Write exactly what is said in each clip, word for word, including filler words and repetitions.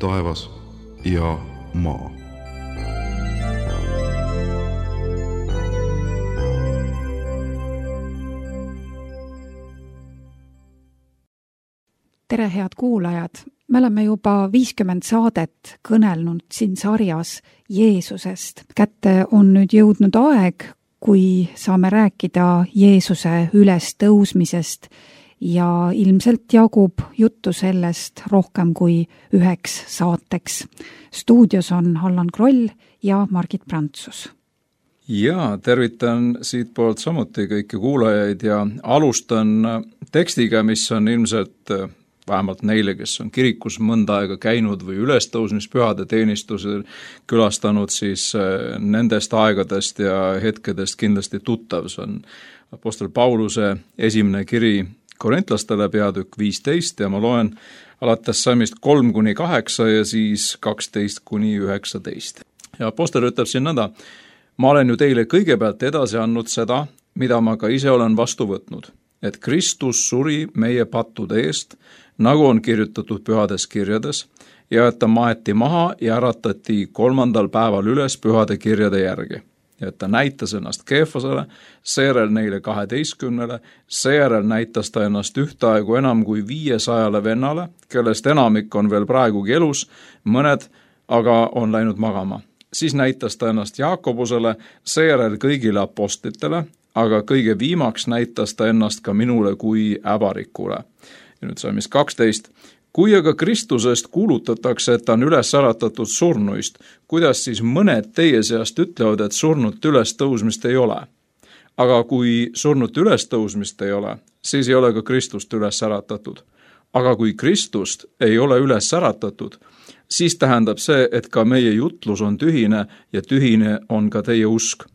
taevas ja maa. Tere, head kuulajad! Me oleme juba viiskümmend saadet kõnelnud siin sarjas Jeesusest. Kätte on nüüd jõudnud aeg, kui saame rääkida Jeesuse ülestõusmisest ja ilmselt jagub juttu sellest rohkem kui üheks saateks. Stuudios on Allan Kroll ja Margit Prantsus. Ja, tervitan siit poolt samuti kõiki kuulajaid ja alustan tekstiga, mis on ilmselt vähemalt neile, kes on kirikus mõnda aega käinud või ülestõusmispühade teenistusel külastanud, siis nendest aegadest ja hetkedest kindlasti tuttav. See on apostel Pauluse esimene kiri korintlastele peatükk viisteist ja ma loen alates salmist kolm kuni kaheksa ja siis kaksteist kuni üheksateist. Ja apostel ütleb siin nõnda: ma olen ju teile kõigepealt edasi andnud seda, mida ma ka ise olen vastu võtnud, et Kristus suri meie pattude eest, nagu on kirjutatud pühades kirjades, ja et ta maeti maha ja äratati kolmandal päeval üles pühade kirjade järgi. Ja et ta näitas ennast Keefasele, seejärel neile kaheteistkümnele, seejärel näitas ta ennast ühtaegu enam kui viiesajale vennale, kellest enamik on veel praegugi elus, mõned aga on läinud magama. Siis näitas ta ennast Jaakobusele, seejärel kõigile apostlitele, aga kõige viimaks näitas ta ennast ka minule kui äbarikule. Ja nüüd salmis kaksteist. Kui aga Kristusest kuulutatakse, et ta on üles äratatud surnuist, kuidas siis mõned teie seast ütlevad, et surnut ülestõusmist ei ole? Aga kui surnut ülestõusmist ei ole, siis ei ole ka Kristust üles äratatud. Aga kui Kristust ei ole üles äratatud, siis tähendab see, et ka meie jutlus on tühine ja tühine on ka teie usk.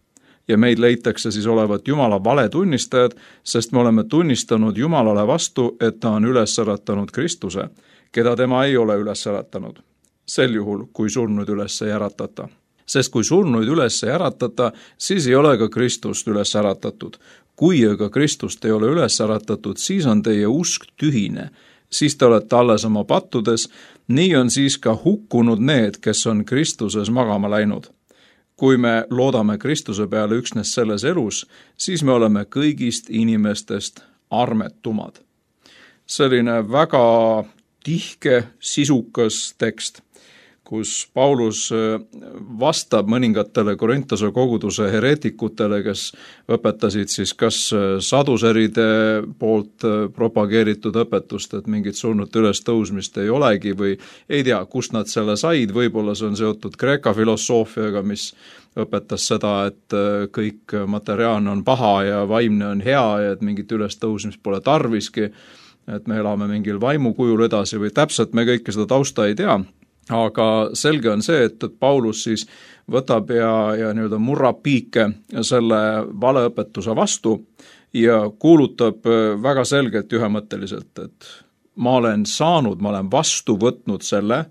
Ja meid leitakse siis olevat Jumala valetunnistajad, sest me oleme tunnistanud Jumalale vastu, et ta on üles äratanud Kristuse, keda tema ei ole üles äratanud. Sel juhul, kui surnuid üles ei äratata. Sest kui surnuid üles ei äratata, siis ei ole ka Kristust üles äratatud. Kui aga Kristust ei ole üles äratatud, siis on teie usk tühine. Siis te olete alles oma pattudes, nii on siis ka hukkunud need, kes on Kristuses magama läinud. Kui me loodame Kristuse peale üksnes selles elus, siis me oleme kõigist inimestest armetumad. Selline väga tihke, sisukas tekst, kus Paulus vastab mõningatele Korintuse koguduse hereetikutele, kes õpetasid siis kas saduseride poolt propageeritud õpetust, et mingit surnud ülestõusmist ei olegi või ei tea, kust nad selle said, võib-olla see on seotud Kreeka filosoofiaga, mis õpetas seda, et kõik materiaalne on paha ja vaimne on hea ja et mingit ülestõusmist pole tarviski, et me elame mingil vaimukujul edasi või täpselt me kõike seda tausta ei tea. Aga selge on see, et Paulus siis võtab ja, ja nii-öelda murrab piike selle valeõpetuse vastu ja kuulutab väga selgelt ühemõtteliselt, et ma olen saanud, ma olen vastu võtnud selle,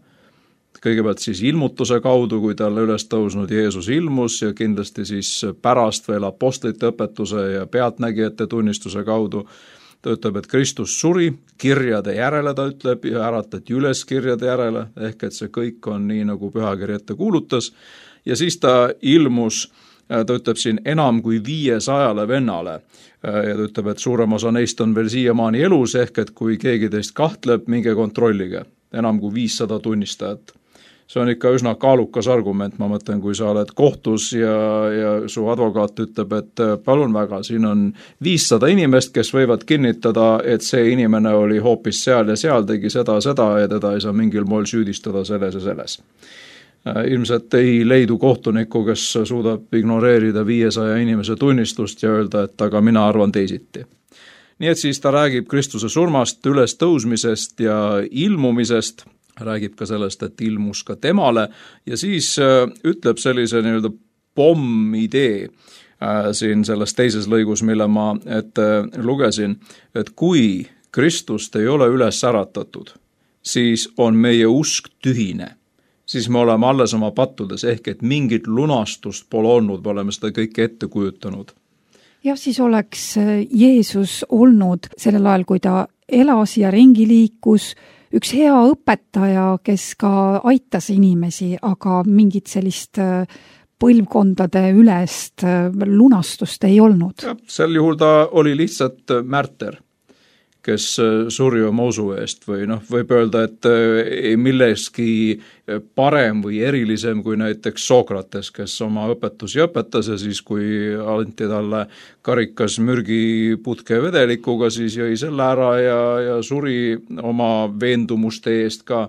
kõigepealt siis ilmutuse kaudu, kui talle üles tõusnud Jeesus ilmus ja kindlasti siis pärast veel apostlite õpetuse ja pealtnägijate tunnistuse kaudu. Ta ütleb, et Kristus suri, kirjade järele ta ütleb ja äratati üles kirjade järele, ehk et see kõik on nii, nagu pühakiri ette kuulutas. Ja siis ta ilmus, ta ütleb siin enam kui viiesajale vennale ja ta ütleb, et suurem osa neist on veel siiamaani elus, ehk et kui keegi teist kahtleb, minge kontrollige, enam kui viissada tunnistajat. See on ikka üsna kaalukas argument, ma mõtlen, kui sa oled kohtus ja, ja su advokaat ütleb, et palun väga, siin on viissada inimest, kes võivad kinnitada, et see inimene oli hoopis seal ja seal, tegi seda, seda ja teda ei saa mingil moel süüdistada selles ja selles. Ilmselt ei leidu kohtuniku, kes suudab ignoreerida viiesaja inimese tunnistust ja öelda, et aga mina arvan teisiti. Nii et siis ta räägib Kristuse surmast, üles tõusmisest ja ilmumisest, räägib ka sellest, et ilmus ka temale ja siis ütleb sellise nii-öelda pommidee siin selles teises lõigus, mille ma ette lugesin, et kui Kristust ei ole üles äratatud, siis on meie usk tühine. Siis me oleme alles oma pattudes, ehk et mingit lunastust pole olnud, me oleme seda kõike ette kujutanud. Ja siis oleks Jeesus olnud sellel ajal, kui ta elas ja ringi liikus, üks hea õpetaja, kes ka aitas inimesi, aga mingit sellist põlvkondade ülest lunastust ei olnud. Ja, sel juhul ta oli lihtsalt märter, kes suri oma usu eest või noh, võib öelda, et milleski parem või erilisem kui näiteks Sokrates, kes oma õpetusi õpetas ja siis, kui anti talle karikas mürgiputke vedelikuga, siis jõi selle ära ja, ja suri oma veendumuste eest ka.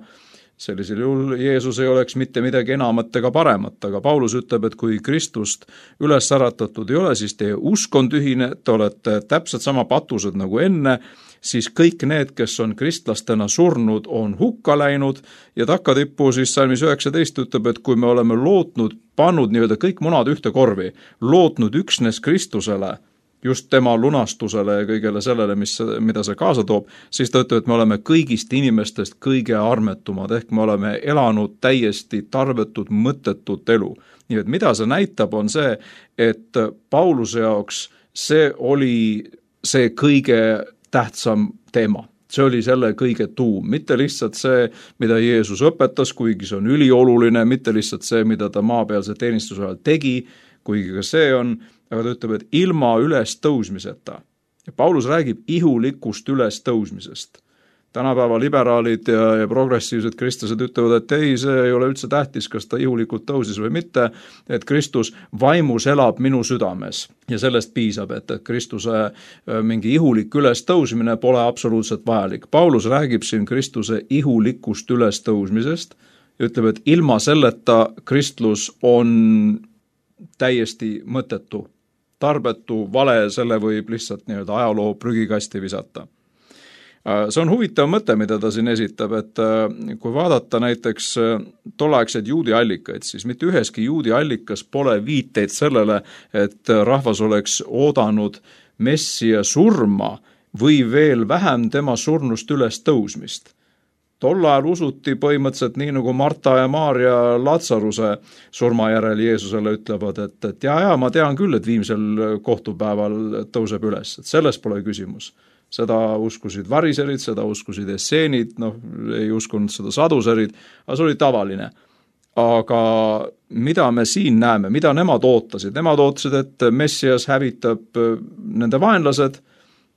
Sellisel juhul Jeesus ei oleks mitte midagi enamat ega paremat, aga Paulus ütleb, et kui Kristust üles äratatud ei ole, siis teie usk on tühine, te olete täpselt sama patused nagu enne, siis kõik need, kes on kristlastena surnud, on hukka läinud ja takkatippu siis salmis üheksateist ütleb, et kui me oleme lootnud, pannud nii-öelda kõik munad ühte korvi, lootnud üksnes Kristusele, just tema lunastusele ja kõigele sellele, mis, mida see kaasa toob, siis ta ütleb, et me oleme kõigist inimestest kõige armetumad, ehk me oleme elanud täiesti tarvetut, mõttetut elu. Nii et mida see näitab, on see, et Pauluse jaoks see oli see kõige tähtsam teema. See oli selle kõige tuum, mitte lihtsalt see, mida Jeesus õpetas, kuigi see on ülioluline, mitte lihtsalt see, mida ta maapealse teenistuse ajal tegi, kuigi ka see on, aga ta ütleb, et ilma üles tõusmiseta. Ja Paulus räägib ihulikust üles tõusmisest. Tänapäeva liberaalid ja, ja progressiivsed kristlased ütlevad, et ei, see ei ole üldse tähtis, kas ta ihulikult tõusis või mitte, et Kristus vaimus elab minu südames. Ja sellest piisab, et, et Kristuse mingi ihulik üles tõusmine pole absoluutselt vajalik. Paulus räägib siin Kristuse ihulikust üles tõusmisest ja ütleb, et ilma selleta kristlus on täiesti mõttetu, tarbetu, vale, selle võib lihtsalt nii-öelda ajaloo prügikasti visata. See on huvitav mõte, mida ta siin esitab, et kui vaadata näiteks tolleaegseid juudi allikaid, siis mitte üheski juudi allikas pole viiteid sellele, et rahvas oleks oodanud Messia surma või veel vähem tema surnust üles tõusmist. Tol ajal usuti põhimõtteliselt nii, nagu Marta ja Maarja Latsaruse surma järel Jeesusele ütlevad, et, et ja, ja ma tean küll, et viimsel kohtupäeval tõuseb üles, et selles pole küsimus. Seda uskusid variserid, seda uskusid esseenid, noh, ei uskunud seda saduserid, aga see oli tavaline. Aga mida me siin näeme, mida nemad ootasid? Nemad ootasid, et Messias hävitab nende vaenlased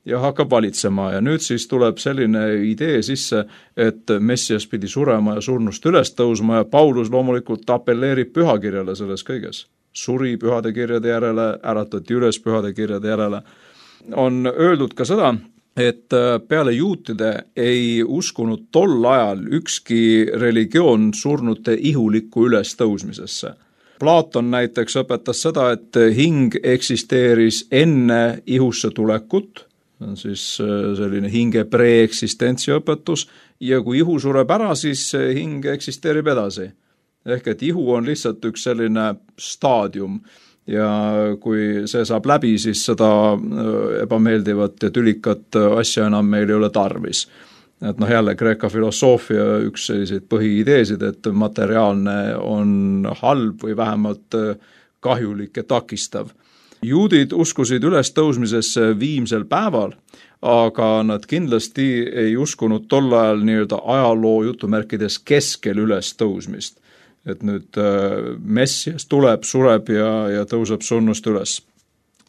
ja hakkab valitsema ja nüüd siis tuleb selline idee sisse, et Messias pidi surema ja surnust üles tõusma ja Paulus loomulikult appelleerib pühakirjale selles kõiges. Suri pühade kirjade järele, äratati üles pühade kirjade järele. On öeldud ka seda, et peale juutide ei uskunud tol ajal ükski religioon surnute ihulikku üles tõusmisesse. Platon näiteks õpetas seda, et hing eksisteeris enne ihusse tulekut, on siis selline hinge preeksistentsi õpetus, ja kui ihu sureb ära, siis hing eksisteerib edasi. Ehk et ihu on lihtsalt üks selline staadium ja kui see saab läbi, siis seda ebameeldivat ja tülikat asja enam meil ei ole tarvis. Et noh, jälle Kreeka filosoofia üks selliseid põhiideesid, et materiaalne on halb või vähemalt kahjulik ja takistav. Juudid uskusid üles tõusmisesse viimsel päeval, aga nad kindlasti ei uskunud tol ajal nii-öelda ajaloo jutumärkides keskel üles tõusmist. Et nüüd Messias tuleb, sureb ja, ja tõuseb surnust üles.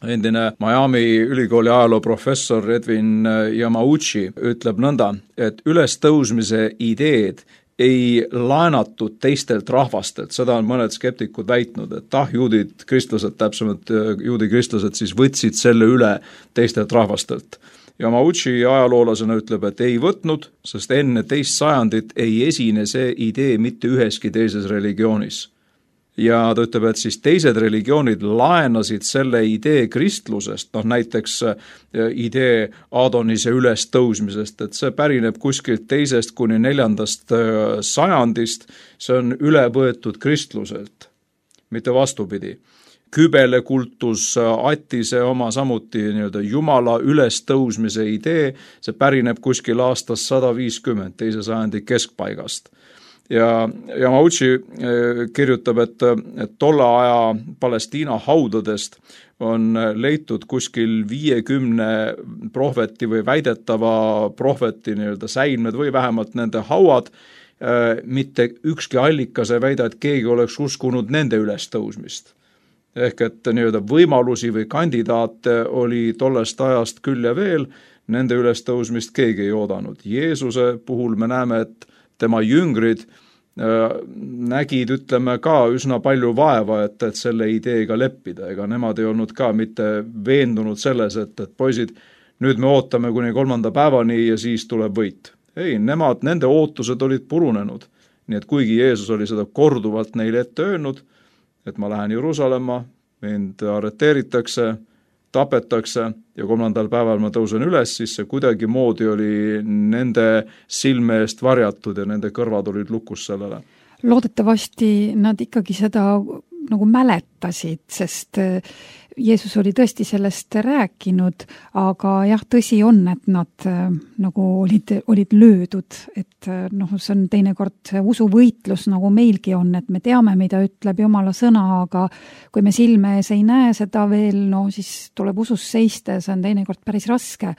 Endine Miami ülikooli ajaloo professor Edwin Yamauchi ütleb nõnda, et üles tõusmise ideed ei laenatud teistelt rahvastelt, seda on mõned skeptikud väitnud, et ah, juudid, kristlased, täpsemalt juudi kristlased siis võtsid selle üle teistelt rahvastelt. Yamauchi ajaloolasena ütleb, et ei võtnud, sest enne teist sajandit ei esine see idee mitte üheski teises religioonis. Ja ta ütleb, et siis teised religioonid laenasid selle idee kristlusest, noh näiteks idee Adonise üles tõusmisest, et see pärineb kuskilt teisest kuni neljandast sajandist, see on üle võetud kristluselt, mitte vastupidi. Kübele kultus, Attise oma samuti nii-öelda Jumala üles tõusmise idee, see pärineb kuskil aastast sada viiskümmend, teise sajandi keskpaigast. ja Yamauchi kirjutab, et, et tolle aja Palestiina haudadest on leitud kuskil viiekümne prohveti või väidetava prohveti nii-öelda säilmed või vähemalt nende hauad. Mitte ükski allikas ei väida, et keegi oleks uskunud nende ülestõusmist. Ehk et nii-öelda võimalusi või kandidaate oli tollest ajast küll ja veel, nende ülestõusmist keegi ei oodanud. Jeesuse puhul me näeme, et tema jüngrid nägid, ütleme ka üsna palju vaeva, et, et selle ideega leppida, ega nemad ei olnud ka mitte veendunud selles, et, et poisid, nüüd me ootame kuni kolmanda päevani ja siis tuleb võit. Ei, nemad, nende ootused olid purunenud. Nii et kuigi Jeesus oli seda korduvalt neile ette öelnud, et ma lähen Jeruusalemma, mind arreteeritakse, tapetakse ja kolmandal päeval ma tõusen üles, siis see kuidagi moodi oli nende silme eest varjatud ja nende kõrvad olid lukus sellele. Loodetavasti nad ikkagi seda nagu mäletasid, sest Jeesus oli tõesti sellest rääkinud, aga jah, tõsi on, et nad nagu olid, olid löödud, et noh, see on teinekord usuvõitlus, nagu meilgi on, et me teame, mida ütleb Jumala sõna, aga kui me silme ees ei näe seda veel, no siis tuleb usus seista ja see on teinekord päris raske.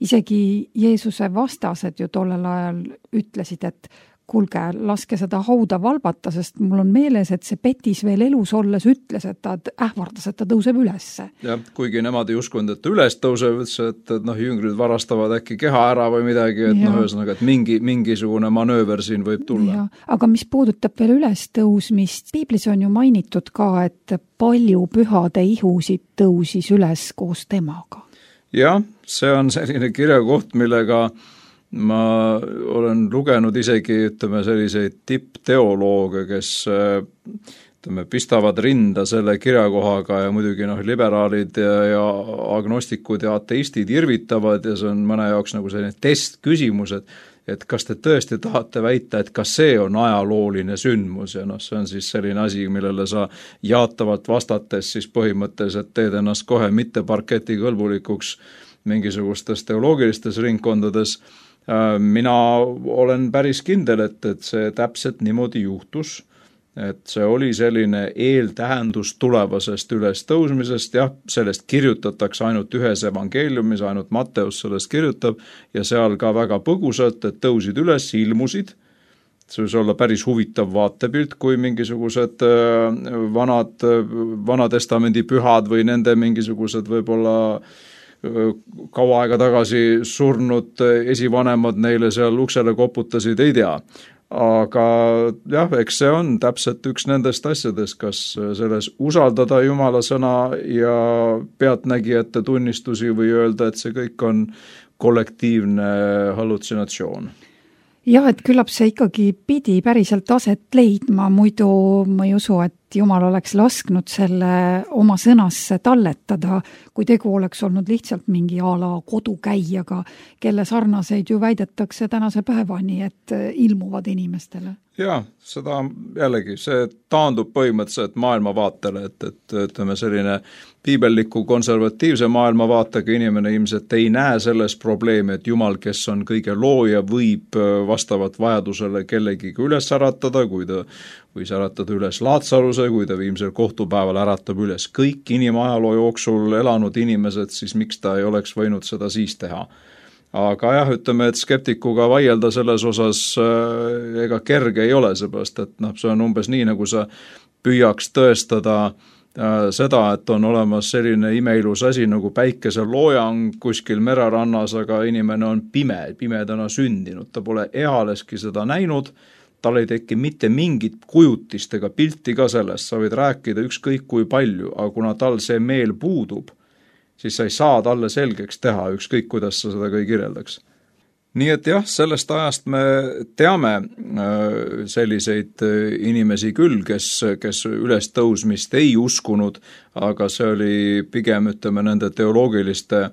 Isegi Jeesuse vastased ju tollel ajal ütlesid, et kuulge, laske seda hauda valbata, sest mul on meeles, et see Petis veel elus olles ütles, et ta ähvardas, et ta tõuseb ülesse. Ja, kuigi nemad ei uskunud, et ta üles tõuseb, et, et noh, jüngrid varastavad äkki keha ära või midagi, et ja. noh, ühesõnaga, et mingi, mingisugune manööver siin võib tulla. Ja. Aga mis puudutab veel üles tõusmist, piiblis on ju mainitud ka, et palju pühade ihusid tõusis üles koos temaga. Jah, see on selline kirjakoht, millega ma olen lugenud isegi, ütleme, selliseid tippteolooge, kes ütleme, pistavad rinda selle kirjakohaga ja muidugi noh, liberaalid ja, ja agnostikud ja ateistid irvitavad ja see on mõne jaoks nagu selline testküsimus, et, et kas te tõesti tahate väita, et kas see on ajalooline sündmus ja noh, see on siis selline asi, millele sa jaatavalt vastates siis põhimõtteliselt teed ennast kohe mitte parketi kõlbulikuks mingisugustes teoloogilistes ringkondades. Mina olen päris kindel, et, et see täpselt niimoodi juhtus, et see oli selline eeltähendus tulevasest ülestõusmisest, jah, sellest kirjutatakse ainult ühes evangeeliumis, ainult Matteus sellest kirjutab ja seal ka väga põgusalt, et tõusid üles, ilmusid. See võis olla päris huvitav vaatepilt, kui mingisugused vanad, vanatestamendi pühad või nende mingisugused võib-olla kaua aega tagasi surnud esivanemad neile seal uksele koputasid, ei tea. Aga jah, eks see on täpselt üks nendest asjadest, kas selles usaldada Jumala sõna ja pealtnägijate tunnistusi või öelda, et see kõik on kollektiivne hallutsinatsioon. Jah, et küllap see ikkagi pidi päriselt aset leidma, muidu ma ei usu, et Jumal oleks lasknud selle oma sõnasse talletada, kui tegu oleks olnud lihtsalt mingi ala kodukäijaga, kelle sarnaseid ju väidetakse tänase päevani, et ilmuvad inimestele. Jaa, seda jällegi, see taandub põhimõtteliselt maailmavaatele, et, et ütleme selline piibelliku konservatiivse maailmavaatega inimene ilmselt ei näe selles probleemi, et Jumal, kes on kõige looja, võib vastavalt vajadusele kellegi üles äratada, kui ta võis äratada üles Laatsaruse, kui ta viimsel kohtupäeval äratab üles kõik inimajaloo jooksul elanud inimesed, siis miks ta ei oleks võinud seda siis teha. Aga jah, ütleme, et skeptikuga vaielda selles osas äh, ega kerge ei ole, seepärast, et noh, see on umbes nii, nagu sa püüaks tõestada äh, seda, et on olemas selline imeilus asi nagu päikeseloojang kuskil mererannas, aga inimene on pime, pimedana sündinud, ta pole ealeski seda näinud, tal ei teki mitte mingit kujutist ega pilti ka sellest, sa võid rääkida ükskõik kui palju, aga kuna tal see meel puudub, siis sa ei saa talle selgeks teha, ükskõik kuidas sa seda kõi kirjeldaks. Nii et jah, sellest ajast me teame selliseid inimesi küll, kes, kes ülestõusmist ei uskunud, aga see oli pigem, ütleme, nende teoloogiliste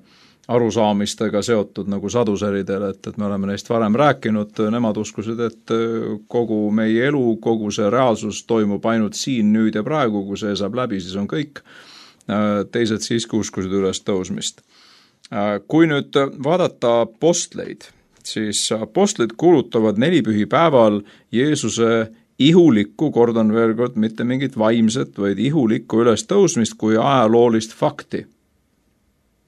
arusaamistega seotud nagu saduseridel, et, et me oleme neist varem rääkinud, nemad uskusid, et kogu meie elu, kogu see reaalsus toimub ainult siin, nüüd ja praegu, kui see saab läbi, siis on kõik. Teised siiski uskusid üles tõusmist. Kui nüüd vaadata apostleid, siis apostlid kuulutavad nelipühipäeval Jeesuse ihulikku, kordan veel kord, mitte mingit vaimset, vaid ihulikku ülestõusmist kui ajaloolist fakti.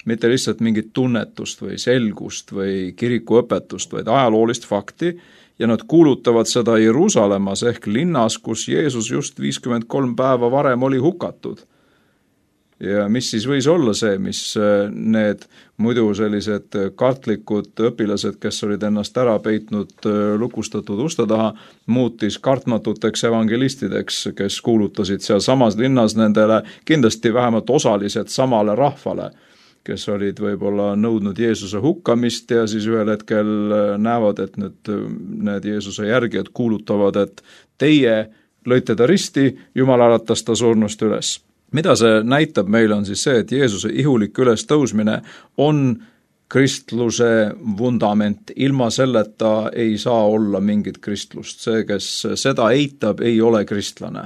Mitte lihtsalt mingit tunnetust või selgust või kirikuõpetust, vaid ajaloolist fakti, ja nad kuulutavad seda Jeruusalemmas ehk linnas, kus Jeesus just viiskümmend kolm päeva varem oli hukatud. Ja mis siis võis olla see, mis need muidu sellised kartlikud õpilased, kes olid ennast ära peitnud lukustatud uste taha, muutis kartmatuteks evangelistideks, kes kuulutasid seal samas linnas nendele kindlasti vähemalt osalised samale rahvale, kes olid võib-olla nõudnud Jeesuse hukkamist ja siis ühel hetkel näevad, et nüüd need Jeesuse järgijad kuulutavad, et teie lõite ta risti, Jumal äratas ta surnust üles. Mida see näitab meile on siis see, et Jeesuse ihulik ülestõusmine on kristluse vundament. Ilma selleta ei saa olla mingit kristlust. See, kes seda eitab, ei ole kristlane.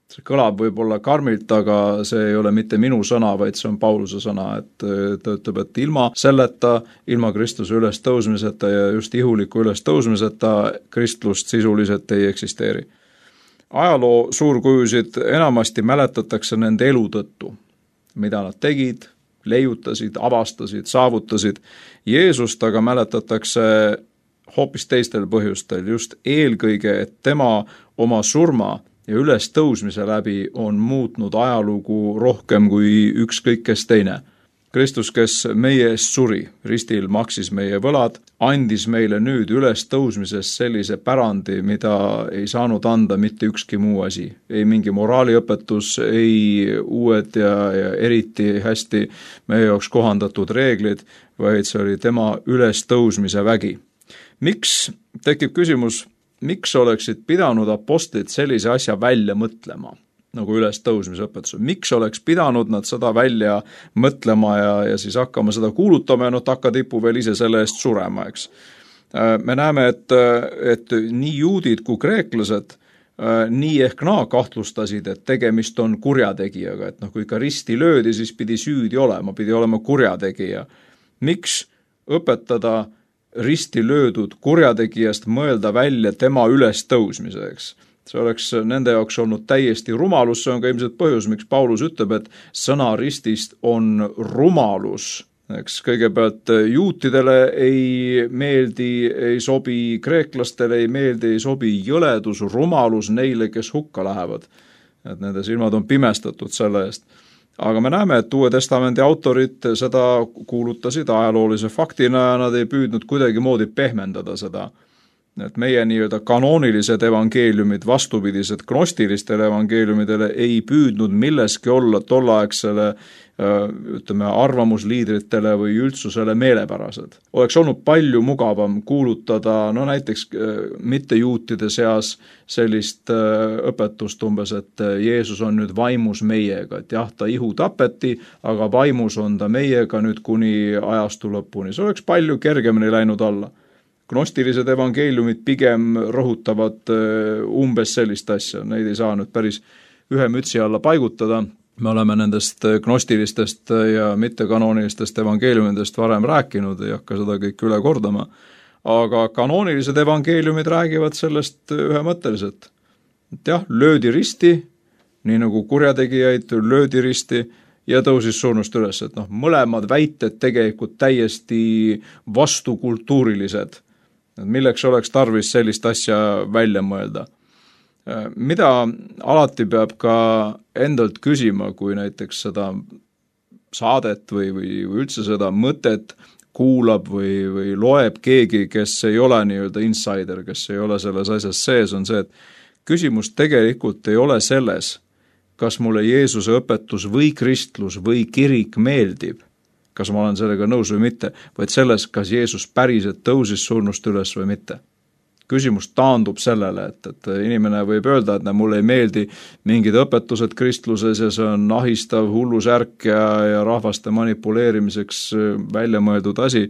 See kõlab võib-olla karmilt, aga see ei ole mitte minu sõna, vaid see on Pauluse sõna, et ta ütleb, et ilma selleta, ilma Kristuse ülestõusmiseta ja just ihuliku ülestõusmiseta kristlust sisuliselt ei eksisteeri. Ajaloo suurkujusid enamasti mäletatakse nende elu tõttu, mida nad tegid, leiutasid, avastasid, saavutasid. Jeesust aga mäletatakse hoopis teistel põhjustel, just eelkõige, et tema oma surma ja ülestõusmise läbi on muutnud ajalugu rohkem kui ükskõik kes teine. Kristus, kes meie eest suri, ristil maksis meie võlad, andis meile nüüd ülestõusmises sellise pärandi, mida ei saanud anda mitte ükski muu asi. Ei mingi moraaliõpetus, ei uued ja, ja eriti hästi meie jaoks kohandatud reeglid, vaid see oli tema ülestõusmise vägi. Miks, tekib küsimus, miks oleksid pidanud apostlid sellise asja välja mõtlema? Nagu ülestõusmise õpetus. Miks oleks pidanud nad seda välja mõtlema ja, ja siis hakkama seda kuulutama ja no takatipu veel ise selle eest surema, eks. Me näeme, et, et nii juudid kui kreeklased nii ehk naa kahtlustasid, et tegemist on kurjategijaga, et noh, kui ikka risti löödi, siis pidi süüdi olema, pidi olema kurjategija. Miks õpetada risti löödud kurjategijast mõelda välja tema ülestõusmiseks? See oleks nende jaoks olnud täiesti rumalus, see on ka ilmselt põhjus, miks Paulus ütleb, et sõna ristist on rumalus. Eks kõigepealt juutidele ei meeldi, ei sobi, kreeklastele ei meeldi, ei sobi jõledus, rumalus neile, kes hukka lähevad. Et nende silmad on pimestatud selle eest. Aga me näeme, et Uue Testamendi autorid seda kuulutasid ajaloolise faktina ja nad ei püüdnud kuidagi moodi pehmendada seda. Et meie nii-öelda kanoonilised evangeeliumid, vastupidised gnostilistele evangeeliumidele ei püüdnud milleski olla tolleaegsele ütleme, arvamusliidritele või üldsusele meelepärased. Oleks olnud palju mugavam kuulutada, no näiteks mittejuutide seas sellist õpetust umbes, et Jeesus on nüüd vaimus meiega, et jah, ta ihu tapeti, aga vaimus on ta meiega nüüd kuni ajastu lõpuni. See oleks palju kergemini läinud alla. Gnostilised evangeeliumid pigem rõhutavad umbes sellist asja, neid ei saa nüüd päris ühe mütsi alla paigutada. Me oleme nendest gnostilistest ja mittekanoonilistest evangeeliumidest varem rääkinud, ei hakka seda kõik üle kordama, aga kanoonilised evangeeliumid räägivad sellest ühemõtteliselt. Et jah, löödi risti, nii nagu kurjategijaid löödi risti, ja tõusis surnust üles, et noh, mõlemad väited tegelikult täiesti vastukultuurilised. Milleks oleks tarvis sellist asja välja mõelda? Mida alati peab ka endalt küsima, kui näiteks seda saadet või, või üldse seda mõtet kuulab või, või loeb keegi, kes ei ole nii-öelda insider, kes ei ole selles asjas sees, on see, et küsimus tegelikult ei ole selles, kas mulle Jeesuse õpetus või kristlus või kirik meeldib, kas ma olen sellega nõus või mitte, vaid selles, kas Jeesus päriselt tõusis surnust üles või mitte. Küsimus taandub sellele, et, et inimene võib öelda, et mulle ei meeldi mingid õpetused kristluses ja see on ahistav hullusärk ja, ja rahvaste manipuleerimiseks välja mõeldud asi.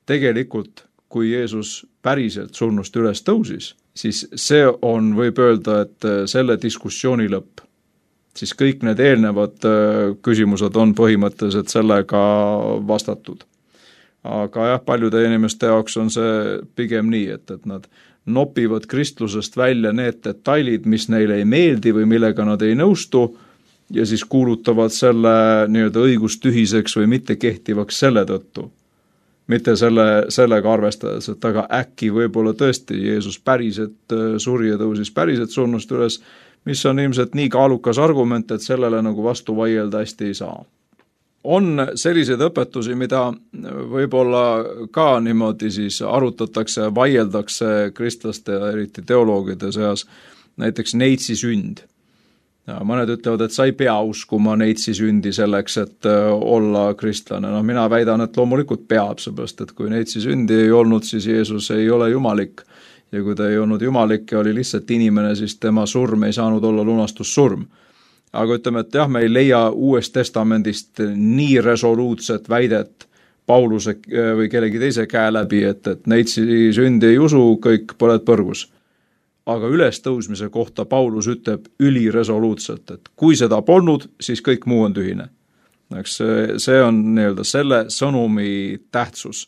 Tegelikult, kui Jeesus päriselt surnust üles tõusis, siis see on, võib öelda, et selle diskussiooni lõpp. Siis kõik need eelnevad küsimused on põhimõtteliselt sellega vastatud. aga jah, paljude inimeste jaoks on see pigem nii, et, et nad nopivad kristlusest välja need detailid, mis neile ei meeldi või millega nad ei nõustu, ja siis kuulutavad selle nii-öelda õigustühiseks või mitte kehtivaks selle tõttu. Mitte selle, sellega arvestades, et aga äkki võib-olla tõesti Jeesus päriselt suri ja tõusis päriselt surnust üles, mis on ilmselt nii kaalukas argument, et sellele nagu vastu vaielda hästi ei saa. On selliseid õpetusi, mida võib-olla ka niimoodi siis arutatakse, vaieldakse kristlaste ja eriti teoloogide seas, näiteks neitsi sünd. Ja mõned ütlevad, et sa ei pea uskuma neitsi sündi selleks, et olla kristlane. No mina väidan, et loomulikult peab, seepärast, et kui neitsi sündi ei olnud, siis Jeesus ei ole jumalik. Ja kui ta ei olnud jumalik ja oli lihtsalt inimene, siis tema surm ei saanud olla lunastussurm. Aga ütleme, et jah, me ei leia Uuest Testamendist nii resoluutset väidet Pauluse või kellegi teise käe läbi, et, et neitsi sündi ei usu, kõik põled põrgus. Aga ülestõusmise kohta Paulus ütleb üliresoluutselt, et kui seda polnud, siis kõik muu on tühine. Eks see on nii-öelda selle sõnumi tähtsus.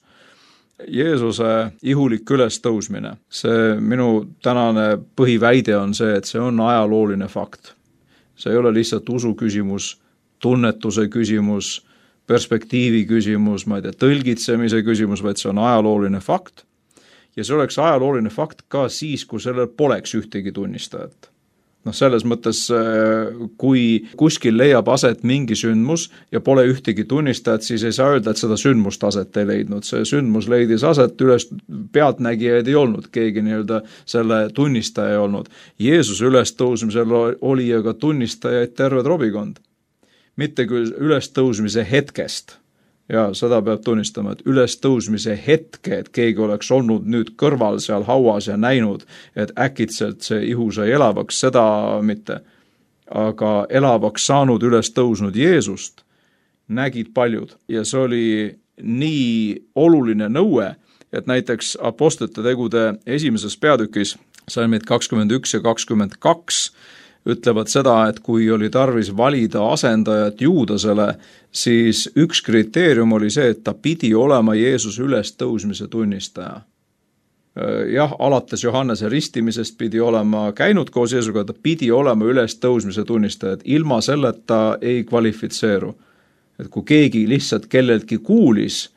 Jeesuse ihulik ülestõusmine, see minu tänane põhiväide on see, et see on ajalooline fakt. See ei ole lihtsalt usu küsimus, tunnetuse küsimus, perspektiivi küsimus, ma ei tea, tõlgitsemise küsimus, vaid see on ajalooline fakt. Ja see oleks ajalooline fakt ka siis, kui sellel poleks ühtegi tunnistajat. No selles mõttes, kui kuskil leiab aset mingi sündmus ja pole ühtegi tunnistajat, siis ei saa öelda, et seda sündmust aset ei leidnud. See sündmus leidis aset, üles pealtnägijaid ei olnud, keegi nii-öelda selle tunnistaja ei olnud. Jeesuse ülestõusmisel oli aga tunnistajaid terve robikond. Mitte küll ülestõusmise hetkest. Ja seda peab tunnistama, et ülestõusmise hetke, et keegi oleks olnud nüüd kõrval seal hauas ja näinud, et äkitselt see ihu sai elavaks, seda mitte. Aga elavaks saanud ülestõusnud Jeesust nägid paljud. Ja see oli nii oluline nõue, et näiteks apostlite tegude esimeses peatükis, salmid kakskümmend üks ja kakskümmend kaks, ütlevad seda, et kui oli tarvis valida asendajat Juudasele, siis üks kriteerium oli see, et ta pidi olema Jeesuse ülestõusmise tunnistaja. Jah, alates Johannese ristimisest pidi olema käinud koos Jeesuga, ta pidi olema ülestõusmise tunnistaja, et ilma selleta ei kvalifitseeru. Et kui keegi lihtsalt kelleltki kuulis,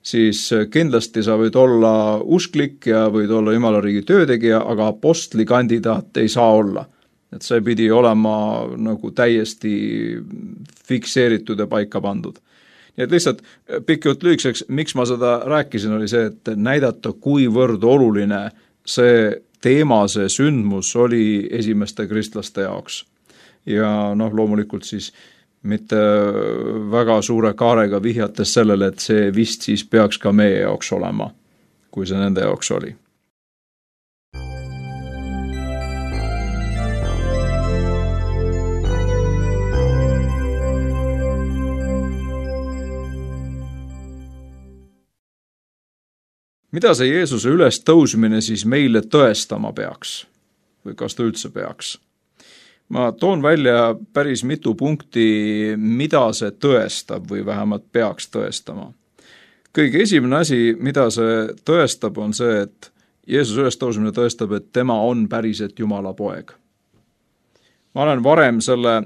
siis kindlasti sa võid olla usklik ja võid olla Jumala riigi töötegija, aga apostlikandidaat ei saa olla. Et see pidi olema nagu täiesti fikseeritud ja paika pandud. Nii et lihtsalt pikalt lühikeseks, miks ma seda rääkisin, oli see, et näidata, kuivõrd oluline see teema, see sündmus oli esimeste kristlaste jaoks. Ja noh, loomulikult siis mitte väga suure kaarega vihjates sellele, et see vist siis peaks ka meie jaoks olema, kui see nende jaoks oli. Mida see Jeesuse ülestõusmine siis meile tõestama peaks? Või kas ta üldse peaks? Ma toon välja päris mitu punkti, mida see tõestab või vähemalt peaks tõestama. Kõige esimene asi, mida see tõestab, on see, et Jeesuse ülestõusmine tõestab, et tema on päriselt Jumala poeg. Ma olen varem selle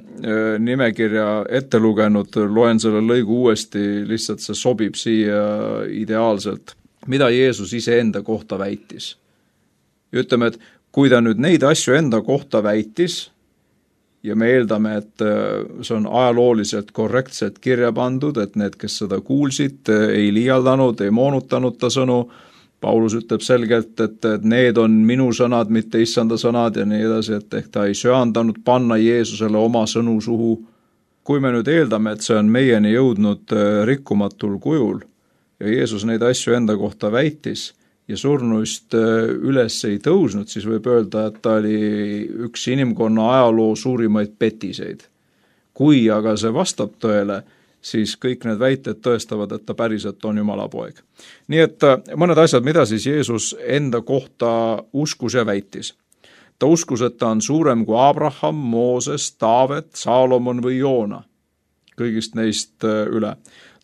nimekirja ette lugenud, loen selle lõigu uuesti, lihtsalt see sobib siia ideaalselt. Mida Jeesus ise enda kohta väitis. Ütleme, et kui ta nüüd neid asju enda kohta väitis, ja me eeldame, et see on ajalooliselt korrektselt kirja pandud, et need, kes seda kuulsid, ei liialdanud, ei moonutanud ta sõnu, Paulus ütleb selgelt, et need on minu sõnad, mitte issanda sõnad ja nii edasi, et ehk ta ei söandanud panna Jeesusele oma sõnu suhu. Kui me nüüd eeldame, et see on meieni jõudnud rikkumatul kujul, ja Jeesus neid asju enda kohta väitis ja surnuist üles ei tõusnud, siis võib öelda, et ta oli üks inimkonna ajaloo suurimaid petiseid. Kui aga see vastab tõele, siis kõik need väited tõestavad, et ta päriselt on Jumala poeg. Nii et mõned asjad, mida siis Jeesus enda kohta uskus ja väitis. Ta uskus, et ta on suurem kui Abraham, Mooses, Taavet, Saalomon või Joona. Kõigist neist üle.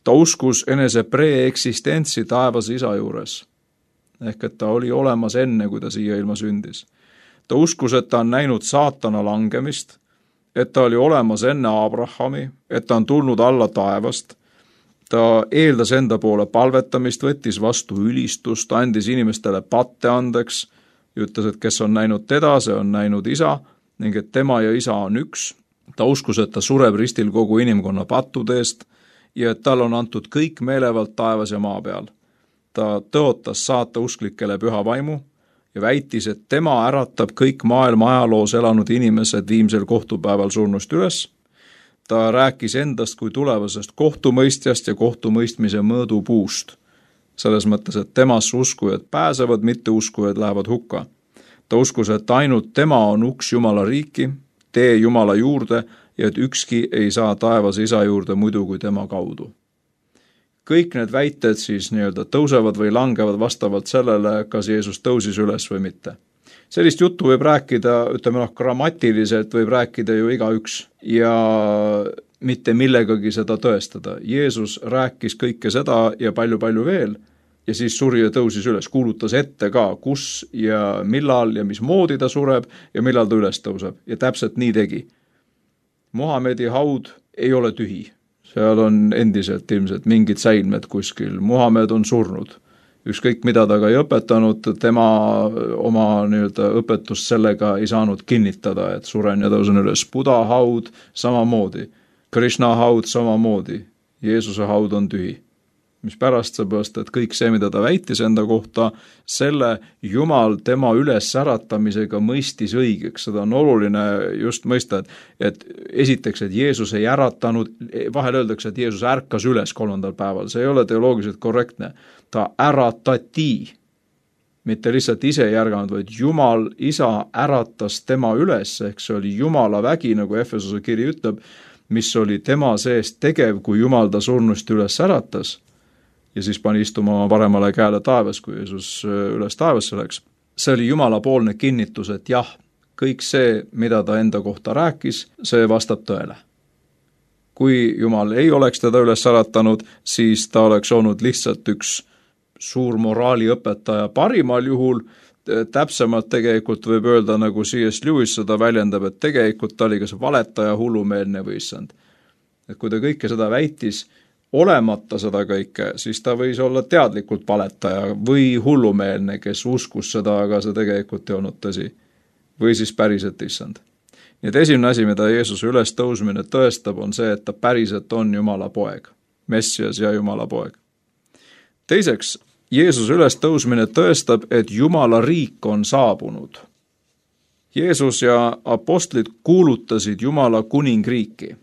ta uskus enese preeksistentsi taevas isa juures. Ehk et ta oli olemas enne, kui ta siia ilma sündis. Ta uskus, et ta on näinud saatana langemist, et ta oli olemas enne Abrahami, et ta on tulnud alla taevast. Ta eeldas enda poole palvetamist, võttis vastu ülistust, andis inimestele patte andeks, ütles, et kes on näinud teda, see on näinud isa, ning et tema ja isa on üks. Ta uskus, et ta sureb ristil kogu inimkonna pattude eest ja et tal on antud kõik meelevald taevas ja maa peal. Ta tõotas saata usklikele püha vaimu ja väitis, et tema äratab kõik maailma ajaloos elanud inimesed viimsel kohtupäeval surnust üles. Ta rääkis endast kui tulevasest kohtumõistjast ja kohtumõistmise mõõdupuust. Selles mõttes, et temasse uskujad pääsevad, mitte uskujad lähevad hukka. Ta uskus, et ainult tema on uks Jumala riiki, tee Jumala juurde ja et ükski ei saa taevas isa juurde muidu kui tema kaudu. Kõik need väited siis nii-öelda tõusevad või langevad vastavalt sellele, kas Jeesus tõusis üles või mitte. Sellist juttu võib rääkida, ütleme noh, grammatiliselt võib rääkida ju igaüks ja mitte millegagi seda tõestada. Jeesus rääkis kõike seda ja palju-palju veel ja siis suri ja tõusis üles, kuulutas ette ka, kus ja millal ja mismoodi ta sureb ja millal ta üles tõuseb ja täpselt nii tegi. Muhamedi haud ei ole tühi. Seal on endiselt ilmselt mingid säilmed kuskil. Muhamed on surnud. Ükskõik mida ta ka ei õpetanud, tema oma nii-öelda õpetust sellega ei saanud kinnitada, et suren ja tõusen üles. Buddha haud samamoodi, Krishna haud samamoodi, Jeesuse haud on tühi. Mis pärast seepärast, et kõik see, mida ta väitis enda kohta, selle Jumal tema üles äratamisega mõistis õigeks. Seda on oluline just mõista, et, et esiteks, et Jeesus ei äratanud, vahel öeldakse, et Jeesus ärkas üles kolmandal päeval. See ei ole teoloogiliselt korrektne. Ta äratati, mitte lihtsalt ise ei ärganud, vaid Jumal isa äratas tema üles, ehk see oli Jumala vägi, nagu Efesose kiri ütleb, mis oli tema seest tegev, kui Jumal ta surnust üles äratas. Ja siis pani istuma oma paremale käele taevas, kui Jeesus üles taevasse läks. See oli Jumala poolne kinnitus, et jah, kõik see, mida ta enda kohta rääkis, see vastab tõele. Kui Jumal ei oleks teda üles äratanud, siis ta oleks olnud lihtsalt üks suur moraaliõpetaja parimal juhul. Täpsemalt tegelikult võib öelda, nagu C S Lewis seda väljendab, et tegelikult ta oli kas valetaja, hullumeelne või issand. Et kui ta kõike seda väitis, olemata seda kõike, siis ta võis olla teadlikult valetaja või hullumeelne, kes uskus seda, aga see tegelikult ei olnud tõsi. Või siis päriselt issand. Nii et esimene asi, mida Jeesuse üles tõusmine tõestab, on see, et ta päriselt on Jumala poeg, Messias ja Jumala poeg. Teiseks, Jeesuse üles tõusmine tõestab, et Jumala riik on saabunud. Jeesus ja apostlid kuulutasid Jumala kuningriiki.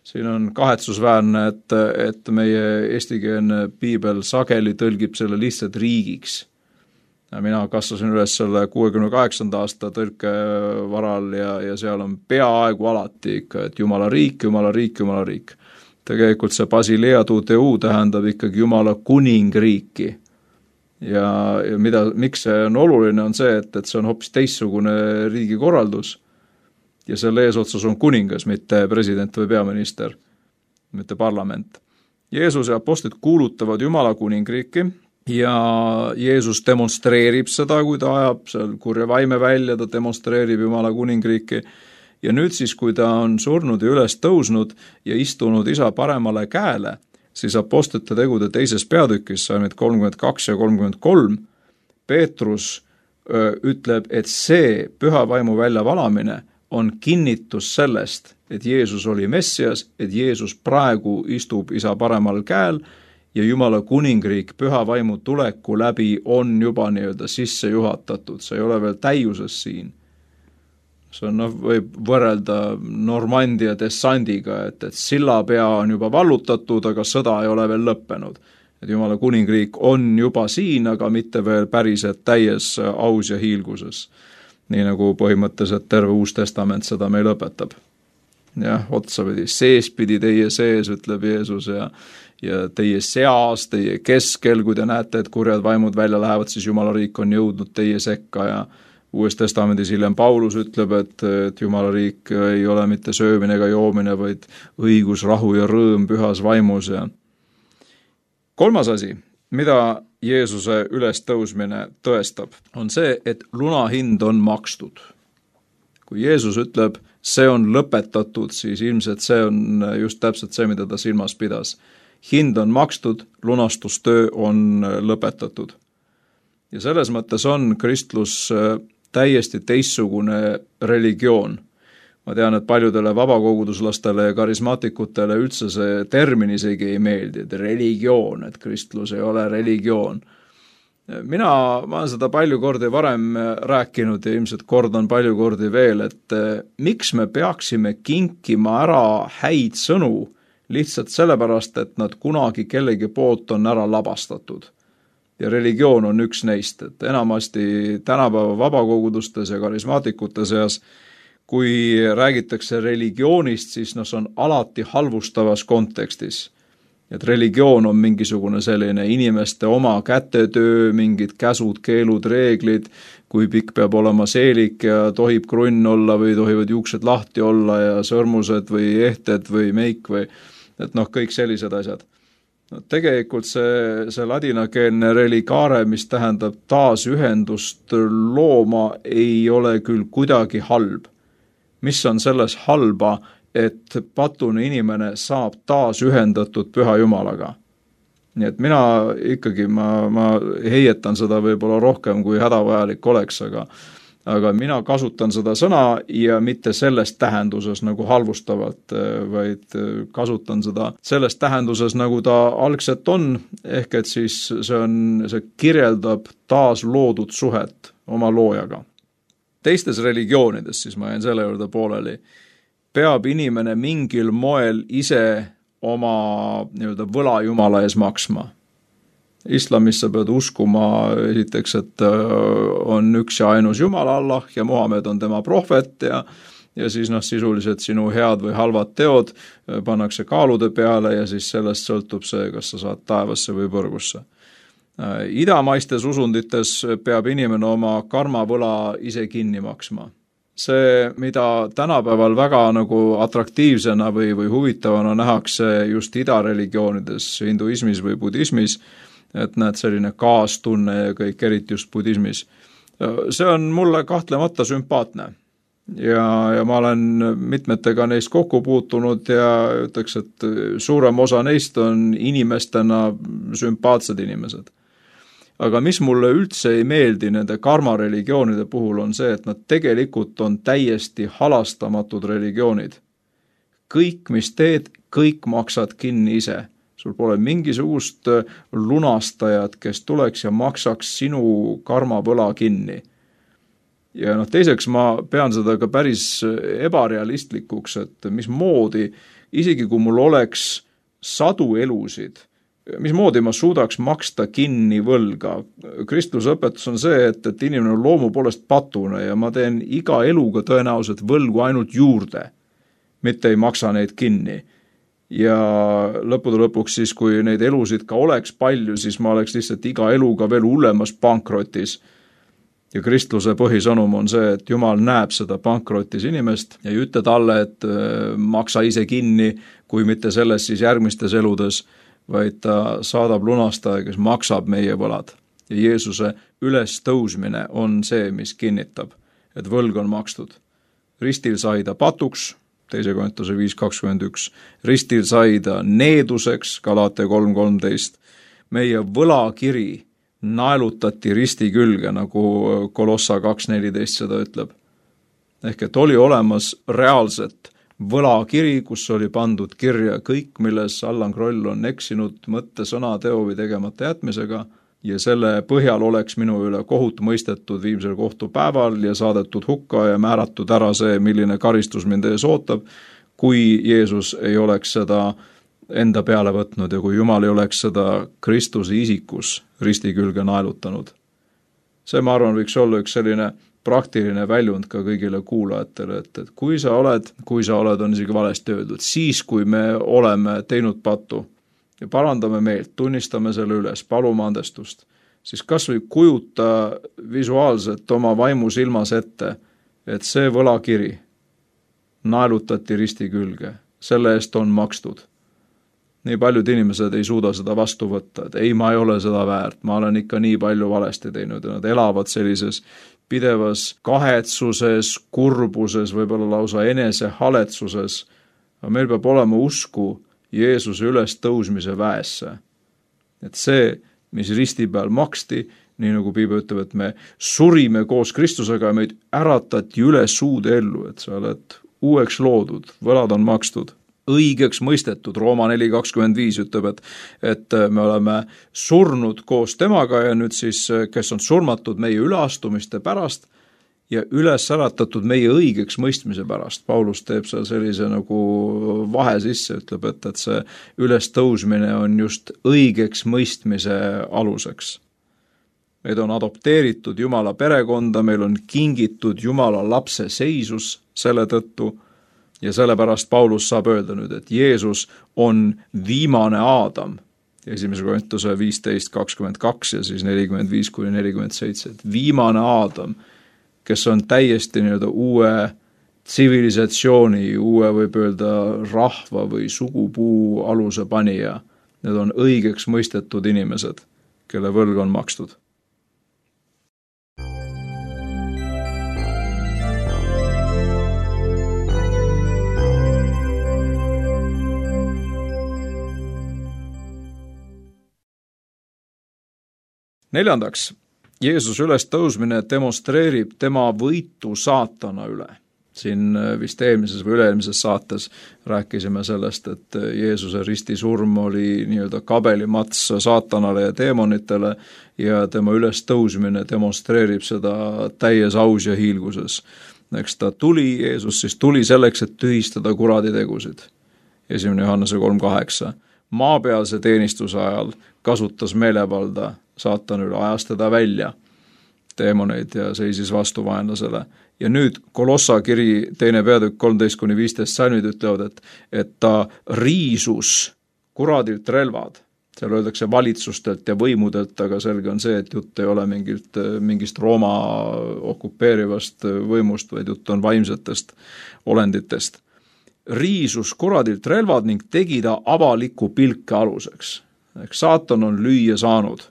Siin on kahetsusväärne, et, et meie eestikeelne piibel sageli tõlgib selle lihtsalt riigiks. Ja mina kasvasin üles selle kuuekümne kaheksanda aasta tõlke varal ja, ja seal on peaaegu alati ikka, et Jumala riik, Jumala riik, Jumala riik. Tegelikult see Basilea tu Deu tähendab ikkagi Jumala kuningriiki. Ja, ja mida, miks see on oluline, on see, et, et see on hoopis teistsugune riigikorraldus. Ja selle eesotsas on kuningas, mitte president või peaminister, mitte parlament. Jeesus ja apostlid kuulutavad Jumala kuningriiki ja Jeesus demonstreerib seda, kui ta ajab seal kurja vaime välja, ta demonstreerib Jumala kuningriiki. Ja nüüd siis, kui ta on surnud ja üles tõusnud ja istunud isa paremale käele, siis apostlite tegude teises peatükis, salmid kolmkümmend kaks ja kolmkümmend kolm, Peetrus öö, ütleb, et see püha vaimu väljavalamine on kinnitus sellest, et Jeesus oli Messias, et Jeesus praegu istub isa paremal käel ja Jumala kuningriik püha vaimu tuleku läbi on juba nii-öelda sisse juhatatud. See ei ole veel täiuses siin. See on, noh, võib võrrelda Normandia dessandiga, et, et sillapea on juba vallutatud, aga sõda ei ole veel lõppenud. Et Jumala kuningriik on juba siin, aga mitte veel päriselt täies aus ja hiilguses. Nii nagu põhimõtteliselt terve Uus Testament seda meil õpetab. Jah, otsapidi, sees pidi teie sees, ütleb Jeesus, ja, ja teie seas, teie keskel, kui te näete, et kurjad vaimud välja lähevad, siis Jumala riik on jõudnud teie sekka ja Uues Testamendis hiljem Paulus ütleb, et, et Jumala riik ei ole mitte söömine ega joomine, vaid õigus, rahu ja rõõm pühas vaimus ja kolmas asi, mida Jeesuse ülestõusmine tõestab, on see, et lunahind on makstud. Kui Jeesus ütleb, see on lõpetatud, siis ilmselt see on just täpselt see, mida ta silmas pidas. Hind on makstud, lunastustöö on lõpetatud. Ja selles mõttes on kristlus täiesti teistsugune religioon. Ma tean, et paljudele vabakoguduslastele ja karismaatikutele üldse see termin isegi ei meeldi, et religioon, et kristlus ei ole religioon. Mina, ma olen seda palju kordi varem rääkinud ja ilmselt kordan palju kordi veel, et miks me peaksime kinkima ära häid sõnu lihtsalt sellepärast, et nad kunagi kellegi poolt on ära labastatud. Ja religioon on üks neist, et enamasti tänapäeva vabakogudustes ja karismaatikute seas, kui räägitakse religioonist, siis no, see on alati halvustavas kontekstis. Et religioon on mingisugune selline inimeste oma kätetöö, mingid käsud, keelud, reeglid, kui pikk peab olema seelik ja tohib krunn olla või tohivad juuksed lahti olla ja sõrmused või ehted või meik või et noh, kõik sellised asjad. No, tegelikult see, see ladinakeelne religare, mis tähendab taasühendust looma, ei ole küll kuidagi halb. Mis on selles halba, et patune inimene saab taas ühendatud Püha Jumalaga. Nii et mina ikkagi, ma, ma heietan seda võib-olla rohkem kui hädavajalik oleks, aga, aga mina kasutan seda sõna ja mitte selles tähenduses nagu halvustavalt, vaid kasutan seda selles tähenduses, nagu ta algselt on, ehk et siis see, on, see kirjeldab taas loodud suhet oma loojaga. Teistes religioonides, siis ma jäin selle juurde pooleli, peab inimene mingil moel ise oma nii-öelda võla Jumala ees maksma. Islamis sa pead uskuma esiteks, et on üks ja ainus Jumal Allah ja Muhamed on tema prohvet ja, ja siis noh, sisuliselt sinu head või halvad teod pannakse kaalude peale ja siis sellest sõltub see, kas sa saad taevasse või põrgusse. Idamaistes usundites peab inimene oma karmavõla ise kinni maksma. See, mida tänapäeval väga nagu atraktiivsena või, või huvitavana nähakse just idareligioonides, hinduismis või budismis, et näed selline kaastunne ja kõik eriti just budismis. See on mulle kahtlemata sümpaatne. Ja, ja ma olen mitmetega neist kokku puutunud ja ütleks, et suurem osa neist on inimestena sümpaatsed inimesed. Aga mis mulle üldse ei meeldi nende karmareligioonide puhul on see, et nad tegelikult on täiesti halastamatud religioonid. Kõik, mis teed, kõik maksad kinni ise. Sul pole mingisugust lunastajat, kes tuleks ja maksaks sinu karmavõla kinni. Ja noh, teiseks ma pean seda ka päris ebarealistlikuks, et mis moodi, isegi kui mul oleks sadu elusid, mis moodi ma suudaks maksta kinni võlga. Kristluse õpetus on see, et, et inimene on loomu poolest patune ja ma teen iga eluga tõenäoliselt võlgu ainult juurde, mitte ei maksa neid kinni. Ja lõppude lõpuks siis, kui neid elusid ka oleks palju, siis ma oleks lihtsalt iga eluga veel hullemas pankrotis. Ja kristluse põhisõnum on see, et Jumal näeb seda pankrotis inimest ja ei ütle talle, et maksa ise kinni, kui mitte selles siis järgmistes eludes, vaid ta saadab lunastaja, kes maksab meie võlad. Ja Jeesuse ülestõusmine on see, mis kinnitab, et võlg on makstud. Ristil sai ta patuks, teise Korintuse viis kakskümmend üks, ristil sai ta needuseks, Galatia kolm kolmteist, meie võlakiri naelutati risti külge, nagu Kolossa kaks neliteist seda ütleb. Ehk et oli olemas reaalselt võlakiri, kus oli pandud kirja kõik, milles Allan Kroll on eksinud mõtte, sõna, teo või tegemata jätmisega ja selle põhjal oleks minu üle kohut mõistetud viimsel kohtupäeval ja saadetud hukka ja määratud ära see, milline karistus mind ees ootab, kui Jeesus ei oleks seda enda peale võtnud ja kui Jumal ei oleks seda Kristuse isikus risti külge naelutanud. See, ma arvan, võiks olla üks selline praktiline väljund ka kõigile kuulajatele, et, et kui sa oled, kui sa oled, on isegi valesti öeldud, siis kui me oleme teinud pattu ja parandame meelt, tunnistame selle üles, palume andestust, siis kas või kujuta visuaalselt oma vaimu silmas ette, et see võlakiri naelutati risti külge, selle eest on makstud. nii paljud inimesed ei suuda seda vastu võtta, et ei, ma ei ole seda väärt, ma olen ikka nii palju valesti teinud ja nad elavad sellises pidevas kahetsuses, kurbuses, võib-olla lausa enesehaletsuses. Aga meil peab olema usku Jeesuse üles tõusmise väesse. Et see, mis risti peal maksti, nii nagu Piibel ütleb, et me surime koos Kristusega ja meid äratati üles uude ellu, et sa oled uueks loodud, võlad on makstud. Õigeks mõistetud, Rooma neli kakskümmend viis ütleb, et, et me oleme surnud koos temaga ja nüüd siis, kes on surmatud meie üleastumiste pärast ja üles äratatud meie õigeks mõistmise pärast. Paulus teeb seal sellise nagu vahe sisse, ütleb, et, et see ülestõusmine on just õigeks mõistmise aluseks. Meid on adopteeritud Jumala perekonda, meil on kingitud Jumala lapse seisus selle tõttu, ja sellepärast Paulus saab öelda nüüd, et Jeesus on viimane Aadam, esimese Korintuse viisteist kakskümmend kaks ja siis nelikümmend viis kuni nelikümmend seitse, et viimane Aadam, kes on täiesti nii-öelda uue tsivilisatsiooni, uue võib öelda rahva või sugupuu aluse panija. Need on õigeks mõistetud inimesed, kelle võlg on makstud. Neljandaks, Jeesus üles tõusmine demonstreerib tema võitu saatana üle. Siin vist eelmises või üle-eelmises saates rääkisime sellest, et Jeesuse ristisurm oli nii-öelda kabelimats saatanale ja teemonitele ja tema üles tõusmine demonstreerib seda täies aus ja hiilguses. Eks ta tuli, Jeesus siis tuli selleks, et tühistada kuradi tegusid. esimene Johannese kolm kaheksa. Maapealse teenistuse ajal kasutas meelevalda saatan üle, ajas teda välja teemoneid ja seisis vastu vaenlasele. Ja nüüd Kolossa kiri teine peatükk kolmteist kuni viisteist salmid ütlevad, et, et ta riisus kuradilt relvad. Seal öeldakse valitsustelt ja võimudelt, aga selge on see, et jutt ei ole mingilt, mingist Rooma okupeerivast võimust, vaid jutt on vaimsetest olenditest. Riisus kuradilt relvad ning tegi ta avaliku pilke aluseks. Ehk saatan on lüüa saanud.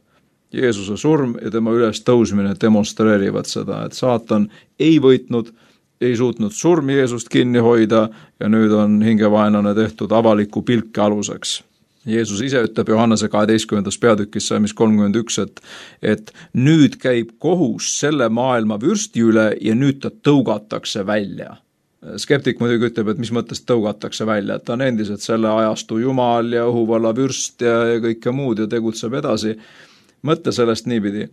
Jeesuse surm ja tema üles tõusmine demonstreerivad seda, et saatan ei võitnud, ei suutnud surmi Jeesust kinni hoida ja nüüd on hingevaenlane tehtud avaliku pilke aluseks. Jeesus ise ütleb Johannese kaheteistkümnendas peatükis salmis kolmkümmend üks, et, et nüüd käib kohus selle maailma vürsti üle ja nüüd ta tõugatakse välja. Skeptik muidugi ütleb, et mis mõttes tõugatakse välja, et ta on endiselt selle ajastu jumal ja õhuvalla vürst ja, ja kõike muud ja tegutseb edasi. Mõtle sellest niipidi,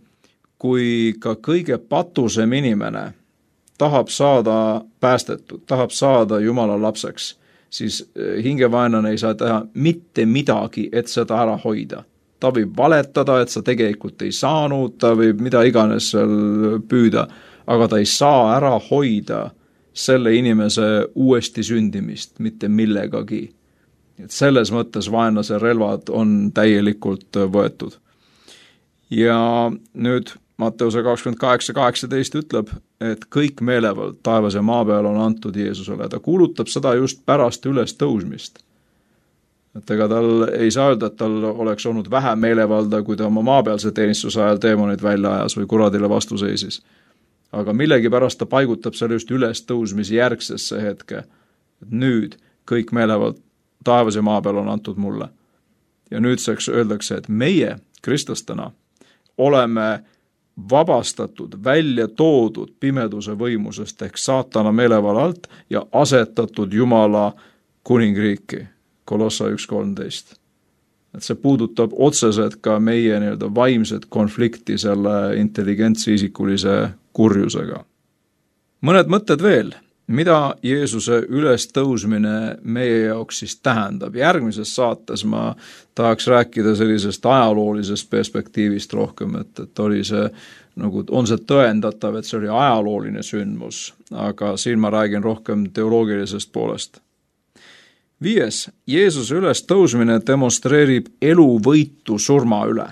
kui ka kõige patusem inimene tahab saada päästetud, tahab saada Jumala lapseks, siis hingevaenlane ei saa teha mitte midagi, et seda ära hoida. Ta võib valetada, et sa tegelikult ei saanud, ta võib mida iganes seal püüda, aga ta ei saa ära hoida selle inimese uuesti sündimist, mitte millegagi. Et selles mõttes vaenlase relvad on täielikult võetud. Ja nüüd Matteuse kakskümmend kaheksa kaheksateist ütleb, et kõik meelevald taevas ja maa peal on antud Jeesusele. Ta kuulutab seda just pärast üles tõusmist. Et ega tal ei saa öelda, et tal oleks olnud vähem meelevalda, kui ta oma maapealse teenistuse ajal teemonid välja ajas või kuradile vastu seisis. Aga millegi pärast ta paigutab selle just üles tõusmise järgsesse hetke. Et nüüd kõik meelevald taevas ja maa peal on antud mulle. Ja nüüdseks öeldakse, et meie kristlastena oleme vabastatud, välja toodud pimeduse võimusest ehk saatana meelevalla alt ja asetatud Jumala kuningriiki, Kolossa üks kolmteist. Et see puudutab otseselt ka meie nii-öelda vaimset konflikti selle intelligentsi isikulise kurjusega. Mõned mõtted veel, mida Jeesuse üles tõusmine meie jaoks siis tähendab. Järgmises saates ma tahaks rääkida sellisest ajaloolisest perspektiivist rohkem, et, et oli see, nagu on see tõendatav, et see oli ajalooline sündmus, aga siin ma räägin rohkem teoloogilisest poolest. Viies, Jeesuse üles tõusmine demonstreerib eluvõitu surma üle.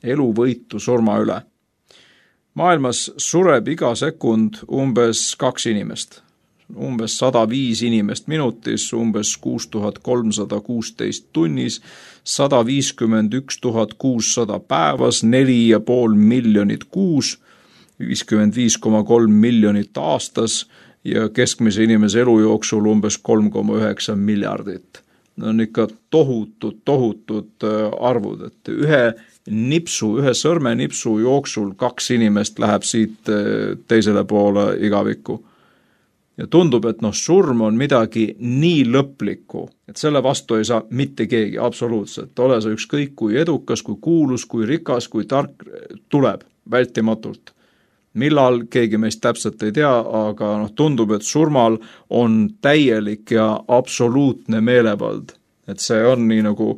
Eluvõitu surma üle. Maailmas sureb iga sekund umbes kaks inimest. umbes sada viis inimest minutis, umbes kuus tuhat kolmsada kuusteist tunnis, sada viiskümmend üks tuhat kuussada päevas, neli ja pool miljonit kuus, viiskümmend viis koma kolm miljonit aastas ja keskmise inimese elu jooksul umbes kolm koma üheksa miljardit. Need on ikka tohutud, tohutud arvud, et ühe nipsu, ühe sõrme nipsu jooksul kaks inimest läheb siit teisele poole igavikku. Ja tundub, et noh, surm on midagi nii lõplikku, et selle vastu ei saa mitte keegi, absoluutselt. Ole sa ükskõik kui edukas, kui kuulus, kui rikas, kui tark, tuleb vältimatult. Millal keegi meist täpselt ei tea, aga noh, tundub, et surmal on täielik ja absoluutne meelevald. Et see on nii nagu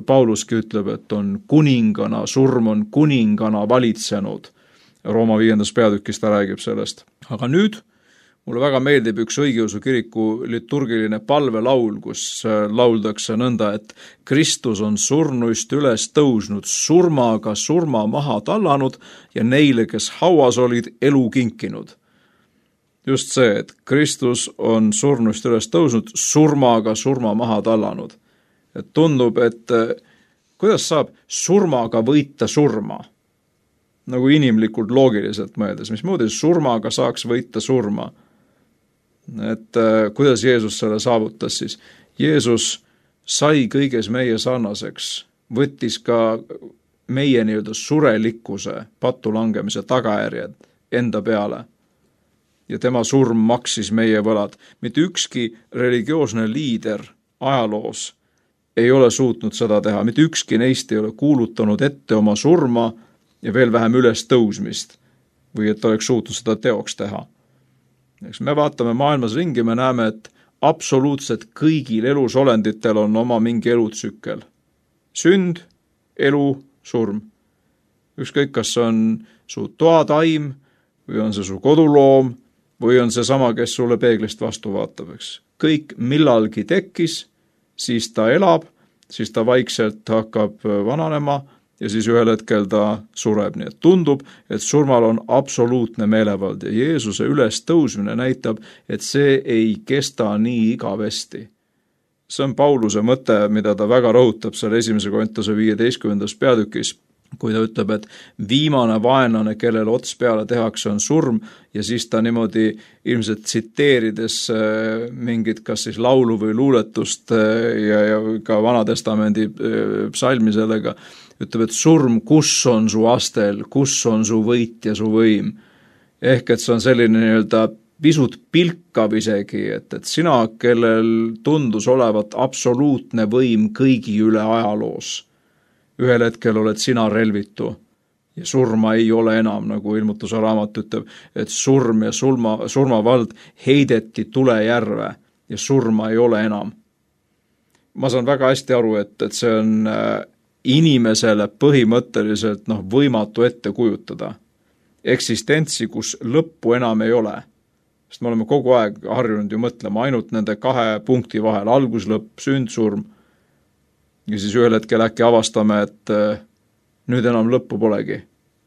Pauluski ütleb, et on kuningana, surm on kuningana valitsenud. Rooma viiendas peatükis ta räägib sellest. Aga nüüd mulle väga meeldib üks õigeusu kiriku liturgiline palvelaul, kus lauldakse nõnda, et Kristus on surnuist üles tõusnud, surmaga surma maha tallanud ja neile, kes hauas olid, elu kinkinud. Just see, et Kristus on surnuist üles tõusnud, surmaga surma maha tallanud. Et tundub, et kuidas saab surmaga võita surma? Nagu inimlikult loogiliselt mõeldes, mismoodi surmaga saaks võita surma? Et äh, kuidas Jeesus selle saavutas siis? Jeesus sai kõiges meie sarnaseks, võttis ka meie nii-öelda surelikkuse, pattu langemise tagajärjed enda peale. Ja tema surm maksis meie võlad. Mitte ükski religioosne liider ajaloos ei ole suutnud seda teha. Mitte ükski neist ei ole kuulutanud ette oma surma ja veel vähem üles tõusmist või et oleks suutnud seda teoks teha. Eks me vaatame maailmas ringi, me näeme, et absoluutselt kõigil elusolenditel on oma mingi elutsükkel. Sünd, elu, surm. Ükskõik, kas on su toataim või on see su koduloom või on see sama, kes sulle peeglist vastu vaatab. Eks. Kõik millalgi tekkis, siis ta elab, siis ta vaikselt hakkab vananema ja siis ühel hetkel ta sureb. Nii et tundub, et surmal on absoluutne meelevald ja Jeesuse üles tõusmine näitab, et see ei kesta nii igavesti. See on Pauluse mõte, mida ta väga rõhutab seal esimese Korintuse viieteistkümnendas peatükis, kui ta ütleb, et viimane vaenlane, kellel ots peale tehakse, on surm ja siis ta niimoodi ilmselt tsiteerides mingit kas siis laulu või luuletust ja, ja ka Vanatestamendi psalmi sellega, ütleb, et surm, kus on su astel, kus on su võit ja su võim. Ehk et see on selline nii-öelda pisut pilkav isegi, et, et sina, kellel tundus olevat absoluutne võim kõigi üle ajaloos, ühel hetkel oled sina relvitu ja surma ei ole enam, nagu ilmutuse raamat ütleb, et surm ja surma, surmavald heideti tulejärve ja surma ei ole enam. Ma saan väga hästi aru, et, et see on inimesele põhimõtteliselt noh, võimatu ette kujutada. Eksistentsi, kus lõppu enam ei ole. Sest me oleme kogu aeg harjunud ju mõtlema ainult nende kahe punkti vahel, alguslõpp, sünd, surm. Ja siis ühel hetkel äkki avastame, et nüüd enam lõppu polegi.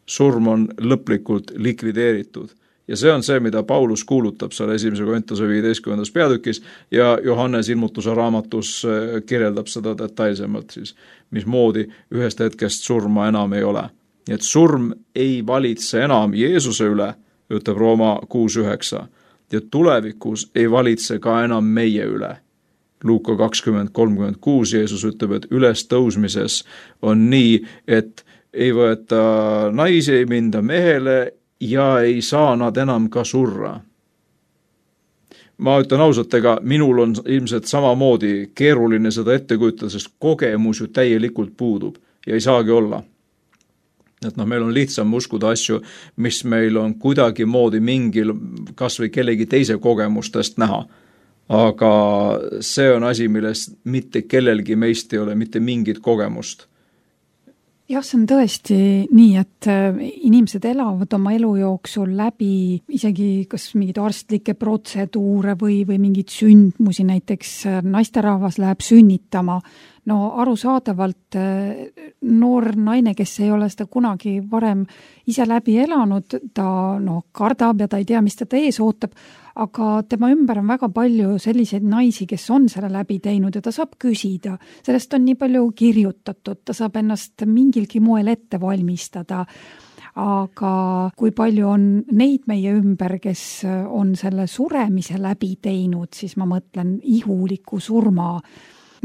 Surm on lõplikult likvideeritud. Ja see on see, mida Paulus kuulutab seal esimese Korintuse viieteistkümnendas peatükis ja Johannes ilmutuse raamatus kirjeldab seda detailsemalt siis, mismoodi ühest hetkest surma enam ei ole. Nii et surm ei valitse enam Jeesuse üle, ütleb Rooma kuus üheksa, ja tulevikus ei valitse ka enam meie üle. Luuka kakskümmend kolmkümmend kuus Jeesus ütleb, et üles tõusmises on nii, et ei võeta naisi, ei minda mehele ja ei saa nad enam ka surra. Ma ütlen ausalt, ega minul on ilmselt samamoodi keeruline seda ette kujutada, sest kogemus ju täielikult puudub ja ei saagi olla. Et noh, meil on lihtsam uskuda asju, mis meil on kuidagi moodi mingil kas või kellegi teise kogemustest näha. Aga see on asi, milles mitte kellelgi meist ei ole mitte mingit kogemust. Jah, see on tõesti nii, et inimesed elavad oma elu jooksul läbi isegi kas mingid arstlikke protseduure või, või mingid sündmusi, näiteks naisterahvas läheb sünnitama. no arusaadavalt noor naine, kes ei ole seda kunagi varem ise läbi elanud, ta no, kardab ja ta ei tea, mis teda ees ootab, aga tema ümber on väga palju selliseid naisi, kes on selle läbi teinud ja ta saab küsida. Sellest on nii palju kirjutatud, ta saab ennast mingilgi moel ette valmistada. Aga kui palju on neid meie ümber, kes on selle suremise läbi teinud, siis ma mõtlen ihuliku surma.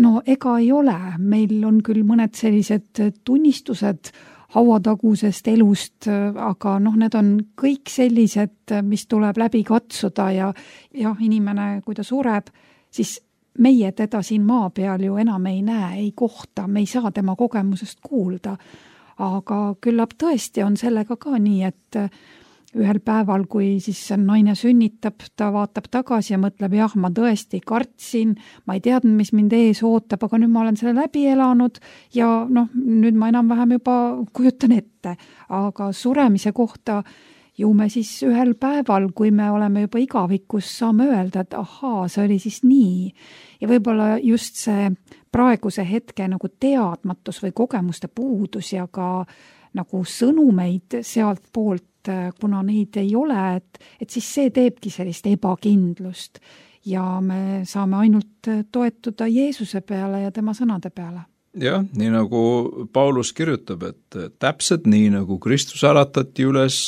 No ega ei ole, meil on küll mõned sellised tunnistused hauatagusest elust, aga noh, need on kõik sellised, mis tuleb läbi katsuda ja jah, inimene, kui ta sureb, siis meie teda siin maa peal ju enam ei näe, ei kohta, me ei saa tema kogemusest kuulda. Aga küllap tõesti on sellega ka nii, et ühel päeval, kui siis naine sünnitab, ta vaatab tagasi ja mõtleb, jah, ma tõesti kartsin, ma ei teadnud, mis mind ees ootab, aga nüüd ma olen selle läbi elanud ja noh, nüüd ma enam-vähem juba kujutan ette. Aga suremise kohta ju me siis ühel päeval, kui me oleme juba igavikus, saame öelda, et ahaa, see oli siis nii. Ja võib-olla just see praeguse hetke nagu teadmatus või kogemuste puudus ja ka nagu sõnumeid sealt poolt, kuna neid ei ole, et, et siis see teebki sellist ebakindlust ja me saame ainult toetuda Jeesuse peale ja tema sõnade peale. Jah, nii nagu Paulus kirjutab, et täpselt nii nagu Kristus äratati üles,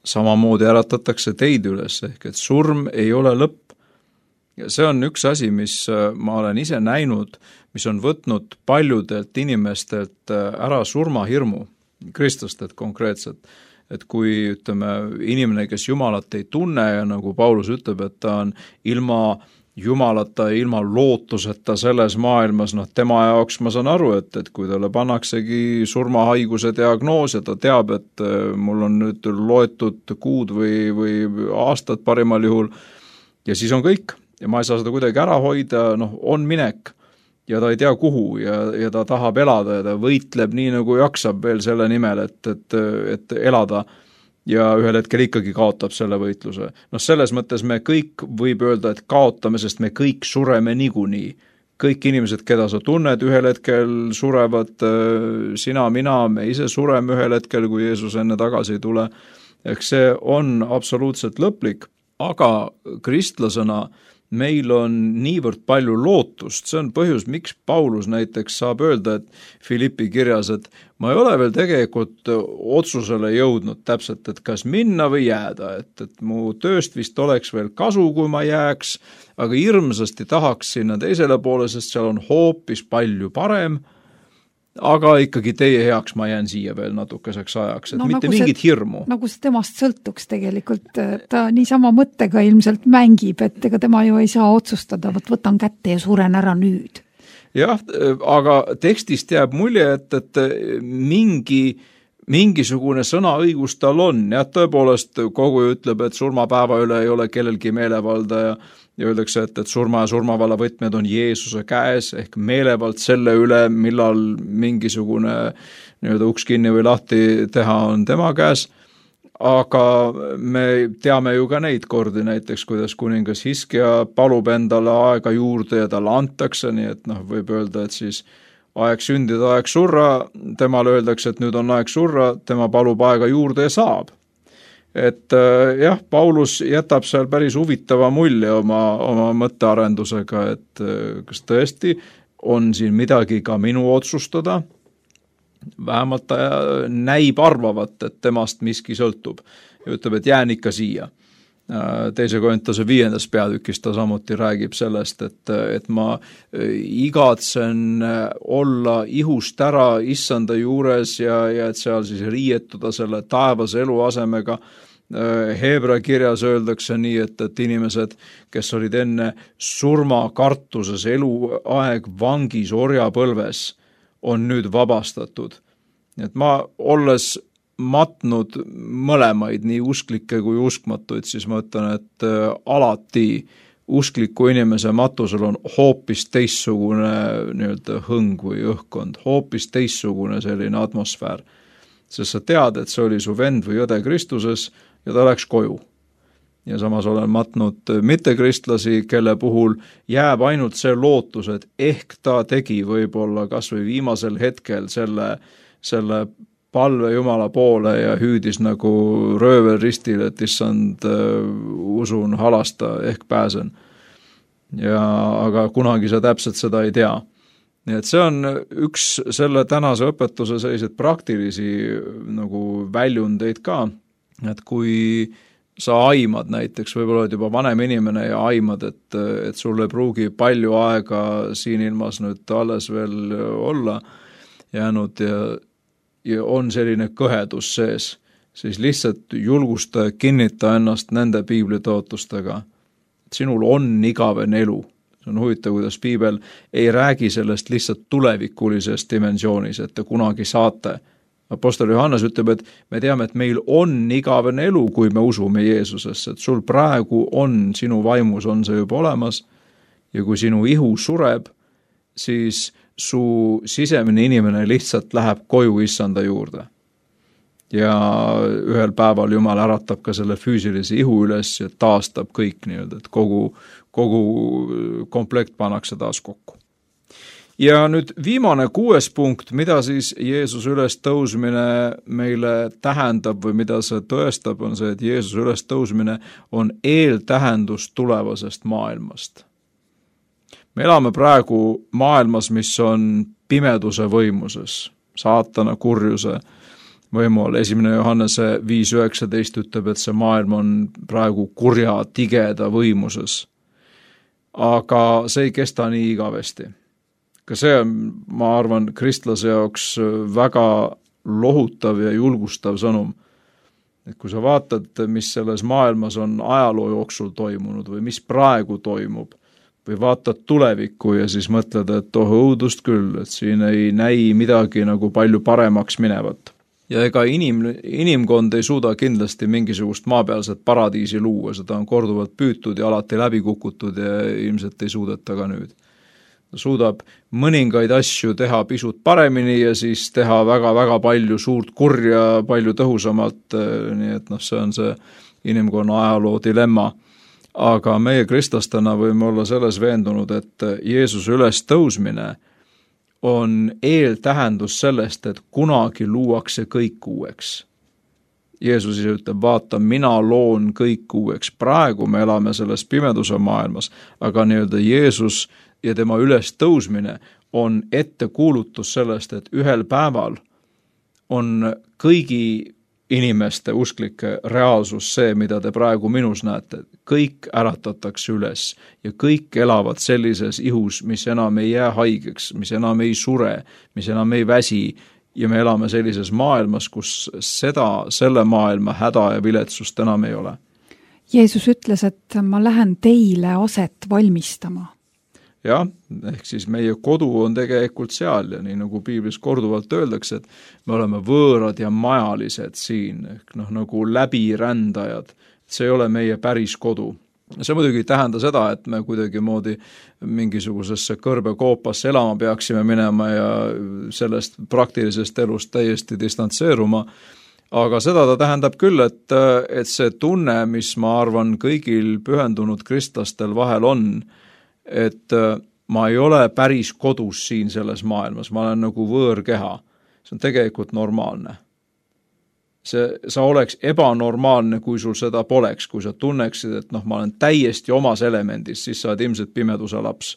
samamoodi äratatakse teid üles, ehk et surm ei ole lõpp. Ja see on üks asi, mis ma olen ise näinud, mis on võtnud paljudelt inimestelt ära surmahirmu, kristlased konkreetselt. Et kui ütleme, inimene, kes Jumalat ei tunne ja nagu Paulus ütleb, et ta on ilma Jumalata ja ilma lootuseta selles maailmas, noh tema jaoks ma saan aru, et, et kui talle pannaksegi surmahaiguse diagnoos ja ta teab, et mul on nüüd loetud kuud või, või aastad parimal juhul ja siis on kõik ja ma ei saa seda kuidagi ära hoida, noh on minek ja ta ei tea kuhu ja, ja ta tahab elada ja ta võitleb nii nagu jaksab veel selle nimel, et, et, et elada ja ühel hetkel ikkagi kaotab selle võitluse. Noh, selles mõttes me kõik võib öelda, et kaotame, sest me kõik sureme niikuinii. Kõik inimesed, keda sa tunned, ühel hetkel surevad, sina, mina, me ise sureme ühel hetkel, kui Jeesus enne tagasi ei tule. Ehk see on absoluutselt lõplik, aga kristlasena meil on niivõrd palju lootust, see on põhjus, miks Paulus näiteks saab öelda, et Filippi kirjas, et ma ei ole veel tegelikult otsusele jõudnud täpselt, et kas minna või jääda, et, et mu tööst vist oleks veel kasu, kui ma jääks, aga hirmsasti tahaks sinna teisele poole, sest seal on hoopis palju parem, aga ikkagi teie heaks ma jään siia veel natukeseks ajaks, et no, mitte nagu mingit see, hirmu. Nagu see temast sõltuks tegelikult, ta niisama mõttega ilmselt mängib, et ega tema ju ei saa otsustada, võt võtan kätte ja suren ära nüüd. Jah, aga tekstist jääb mulje, et, et mingi, mingisugune sõnaõigus tal on, jah, tõepoolest kogu ütleb, et surmapäeva üle ei ole kellelgi meelevalda ja ja öeldakse, et, et surma ja surmavalla võtmed on Jeesuse käes, ehk meelevald selle üle, millal mingisugune nii-öelda uks kinni või lahti teha on tema käes, aga me teame ju ka neid kordi näiteks, kuidas kuningas Hiskia palub endale aega juurde ja talle antakse, nii et noh, võib öelda, et siis aeg sündida, aeg surra, temale öeldakse, et nüüd on aeg surra, tema palub aega juurde ja saab. Et jah, Paulus jätab seal päris huvitava mulje oma, oma mõttearendusega, et kas tõesti on siin midagi ka minu otsustada, vähemalt ta näib arvavat, et temast miski sõltub ja ütleb, et jään ikka siia. Teise Korintuse viiendas peatükis ta samuti räägib sellest, et, et ma igatsen olla ihust ära issanda juures ja, ja et seal siis riietuda selle taevas eluasemega. Heebra kirjas öeldakse nii, et, et inimesed, kes olid enne surmakartuses eluaeg vangis orjapõlves, on nüüd vabastatud. Et ma olles matnud mõlemaid, nii usklikke kui uskmatuid, siis ma ütlen, et alati uskliku inimese matusel on hoopis teistsugune nii-öelda hõng või õhkkond, hoopis teistsugune selline atmosfäär. Sest sa tead, et see oli su vend või õde Kristuses ja ta läks koju. ja samas olen matnud mittekristlasi, kelle puhul jääb ainult see lootus, et ehk ta tegi võib-olla kas või viimasel hetkel selle, selle palve Jumala poole ja hüüdis nagu röövel ristil, et issand, usun, halasta, ehk pääsen. Ja, aga kunagi sa täpselt seda ei tea. Nii et see on üks selle tänase õpetuse selliseid praktilisi nagu väljundeid ka, et kui sa aimad näiteks, võib-olla oled juba vanem inimene ja aimad, et, et sul ei pruugi palju aega siin ilmas nüüd alles veel olla jäänud ja, ja on selline kõhedus sees, siis lihtsalt julgusta ja kinnita ennast nende piiblitootustega, et sinul on igavene elu. See on huvitav, kuidas piibel ei räägi sellest lihtsalt tulevikulises dimensioonis, et te kunagi saate. Apostel Johannes ütleb, et me teame, et meil on igavene elu, kui me usume Jeesusesse, et sul praegu on, sinu vaimus on see juba olemas ja kui sinu ihu sureb, siis su sisemine inimene lihtsalt läheb koju issanda juurde. Ja ühel päeval Jumal äratab ka selle füüsilise ihu üles ja taastab kõik nii-öelda, et kogu, kogu komplekt pannakse taas kokku. Ja nüüd viimane kuues punkt, mida siis Jeesus üles tõusmine meile tähendab või mida see tõestab, on see, et Jeesus üles tõusmine on eeltähendus tulevasest maailmast. Me elame praegu maailmas, mis on pimeduse võimuses, saatana kurjuse võimu all. Esimene Johannese viis üheksateist ütleb, et see maailm on praegu kurja tigeda võimuses. Aga see ei kesta nii igavesti. Ka see on, ma arvan, kristlase jaoks väga lohutav ja julgustav sõnum. Et kui sa vaatad, mis selles maailmas on ajaloo jooksul toimunud või mis praegu toimub, või vaatad tulevikku ja siis mõtled, et oh õudust küll, et siin ei näi midagi nagu palju paremaks minevat. Ja ega inim, inimkond ei suuda kindlasti mingisugust maapealset paradiisi luua, seda on korduvalt püütud ja alati läbi kukutud ja ilmselt ei suudeta ka nüüd. Ta suudab mõningaid asju teha pisut paremini ja siis teha väga-väga palju suurt kurja, palju tõhusamalt, nii et noh, see on see inimkonna ajaloo dilemma. Aga meie kristlastena võime olla selles veendunud, et Jeesuse üles tõusmine on eeltähendus sellest, et kunagi luuakse kõik uueks. Jeesus ise ütleb, vaata, mina loon kõik uueks. Praegu me elame selles pimeduse maailmas, aga nii-öelda Jeesus ja tema üles tõusmine on ettekuulutus sellest, et ühel päeval on kõigi inimeste usklike reaalsus see, mida te praegu minus näete. Kõik äratatakse üles ja kõik elavad sellises ihus, mis enam ei jää haigeks, mis enam ei sure, mis enam ei väsi ja me elame sellises maailmas, kus seda, selle maailma häda ja viletsust enam ei ole. Jeesus ütles, et ma lähen teile aset valmistama. Jah, ehk siis meie kodu on tegelikult seal ja nii nagu piiblis korduvalt öeldakse, et me oleme võõrad ja majalised siin, ehk noh, nagu läbirändajad. See ei ole meie päris kodu. See muidugi ei tähenda seda, et me kuidagi moodi mingisugusesse kõrbekoopasse elama peaksime minema ja sellest praktilisest elust täiesti distantseeruma, aga seda ta tähendab küll, et, et see tunne, mis ma arvan kõigil pühendunud kristlastel vahel on, et ma ei ole päris kodus siin selles maailmas, ma olen nagu võõrkeha. See on tegelikult normaalne. See, sa oleks ebanormaalne, kui sul seda poleks, kui sa tunneksid, et noh, ma olen täiesti omas elemendis, siis sa oled ilmselt pimeduse laps.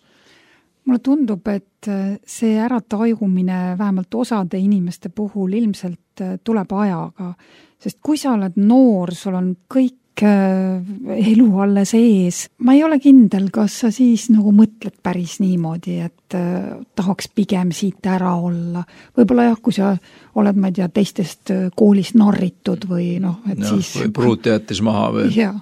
Mulle tundub, et see äratajumine vähemalt osade inimeste puhul ilmselt tuleb ajaga, sest kui sa oled noor, sul on kõik elu alles ees. Ma ei ole kindel, kas sa siis nagu mõtled päris niimoodi, et äh, tahaks pigem siit ära olla. Võib-olla jah, kui sa oled, ma ei tea, teistest koolist narritud või noh, et ja, siis... Või pruut jättis maha või... Ja.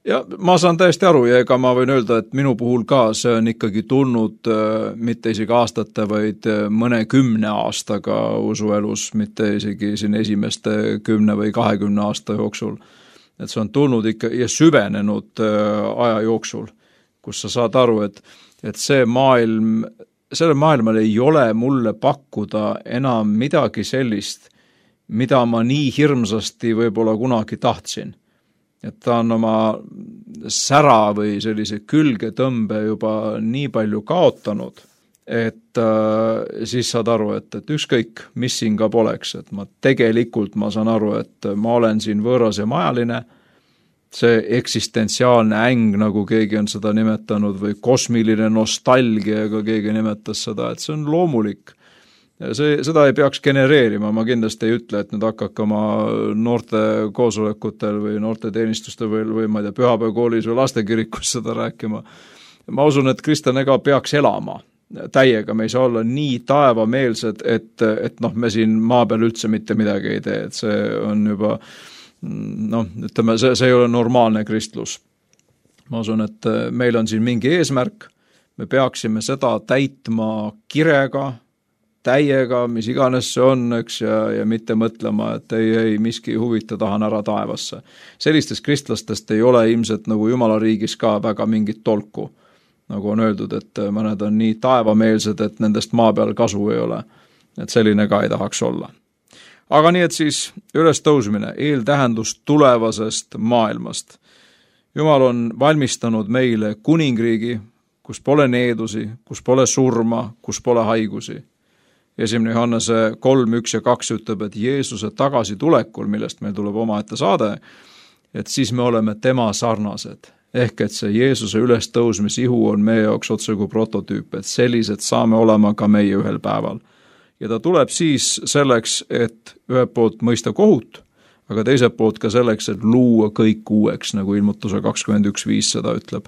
ja ma saan täiesti aru ja ega ma võin öelda, et minu puhul ka see on ikkagi tulnud äh, mitte isegi aastate, vaid mõne kümne aastaga usuelus, mitte isegi siin esimeste kümne või kahekümne aasta jooksul. Et see on tulnud ikka ja süvenenud aja jooksul, kus sa saad aru, et, et see maailm, sellel maailmal ei ole mulle pakkuda enam midagi sellist, mida ma nii hirmsasti võib-olla kunagi tahtsin. et ta on oma sära või sellise külgetõmbe juba nii palju kaotanud, et äh, siis saad aru, et, et ükskõik, mis siin ka poleks, et ma tegelikult ma saan aru, et ma olen siin võõras ja majaline, see eksistentsiaalne äng, nagu keegi on seda nimetanud, või kosmiline nostalgia, ka keegi nimetas seda, et see on loomulik. See, seda ei peaks genereerima, ma kindlasti ei ütle, et nüüd hakkake oma noorte koosolekutel või noorte teenistustel või, või ma ei tea, pühapäevakoolis või lastekirikus seda rääkima. Ma usun, et kristlane ka peaks elama täiega, me ei saa olla nii taevameelsed, et, et noh, me siin maa peal üldse mitte midagi ei tee, et see on juba noh, ütleme, see, see ei ole normaalne kristlus. Ma usun, et meil on siin mingi eesmärk, me peaksime seda täitma kirega, täiega, mis iganes see on, eks, ja, ja mitte mõtlema, et ei, ei, miski huvita, tahan ära taevasse. Sellistest kristlastest ei ole ilmselt nagu Jumala riigis ka väga mingit tolku. Nagu on öeldud, et mõned on nii taevameelsed, et nendest maa peal kasu ei ole. Et selline ka ei tahaks olla. Aga nii, et siis üles tõusmine, eeltähendus tulevasest maailmast. Jumal on valmistanud meile kuningriigi, kus pole needusi, kus pole surma, kus pole haigusi. Esimene Johannese kolm, üks ja kaks ütleb, et Jeesuse tagasitulekul, millest meil tuleb omaette saade, et siis me oleme tema sarnased. Ehk et see Jeesuse ülestõusmisihu on meie jaoks otse kui prototüüp, et sellised saame olema ka meie ühel päeval. Ja ta tuleb siis selleks, et ühelt poolt mõista kohut, aga teiselt poolt ka selleks, et luua kõik uueks, nagu ilmutuse kakskümmend üks viis seda ütleb.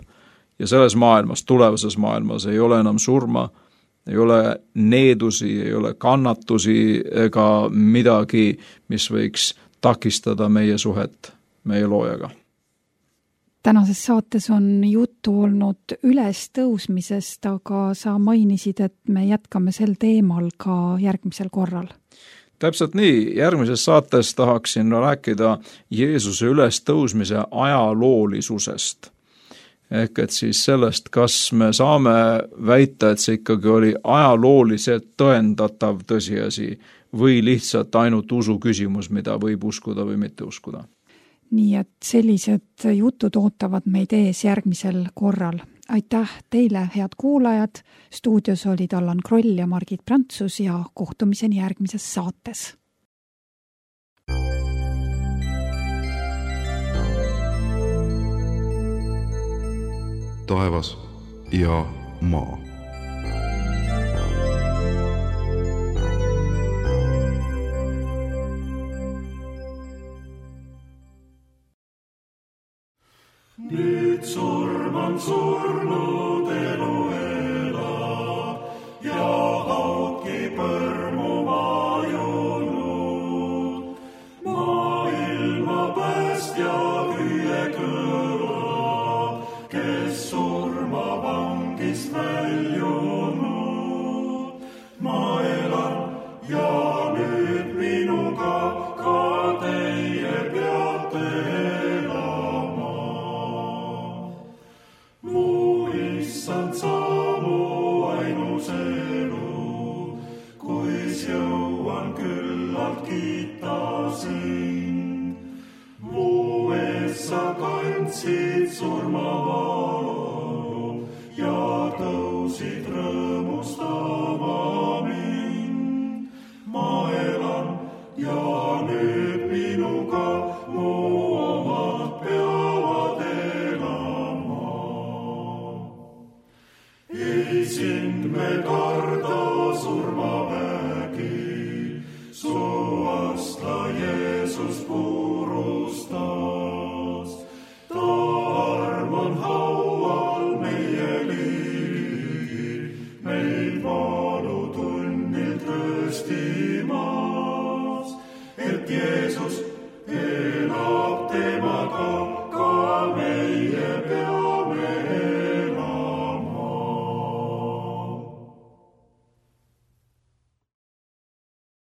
Ja selles maailmas, tulevases maailmas ei ole enam surma, ei ole needusi, ei ole kannatusi ega midagi, mis võiks takistada meie suhet meie loojaga. Tänases saates on juttu olnud ülestõusmisest, aga sa mainisid, et me jätkame sel teemal ka järgmisel korral. Täpselt nii, järgmises saates tahaksin rääkida Jeesuse ülestõusmise ajaloolisusest. Ehk et siis sellest, kas me saame väita, et see ikkagi oli ajalooliselt tõendatav tõsiasi või lihtsalt ainult usu küsimus, mida võib uskuda või mitte uskuda. Nii et sellised jutud ootavad meid ees järgmisel korral. Aitäh teile, head kuulajad. Stuudios olid Allan Kroll ja Margit Prantsus ja kohtumiseni järgmises saates. Taevas ja maa. Nüüd surm on surnud, elu elab ja haudki põrmu vajunud. Maailma päästja hüüe kõlab, kes surma vangist väljunud. Ma elan ja nüüd minuga ka teie peate elama. Mu issand sa mu ainus elu, kuis jõuan küllalt kiita sind. Mu ees sa kandsid surmavalu ja tõusid rõõmustama mind. Ma elan ja nüüd minuga mu omad peavad elama. Ei sind me karda surmavägi, su astla Jeesus purustas. Ta arm on haual meie ligi, meid valutunnilt rööstimas, et Jeesus elab temaga ka meie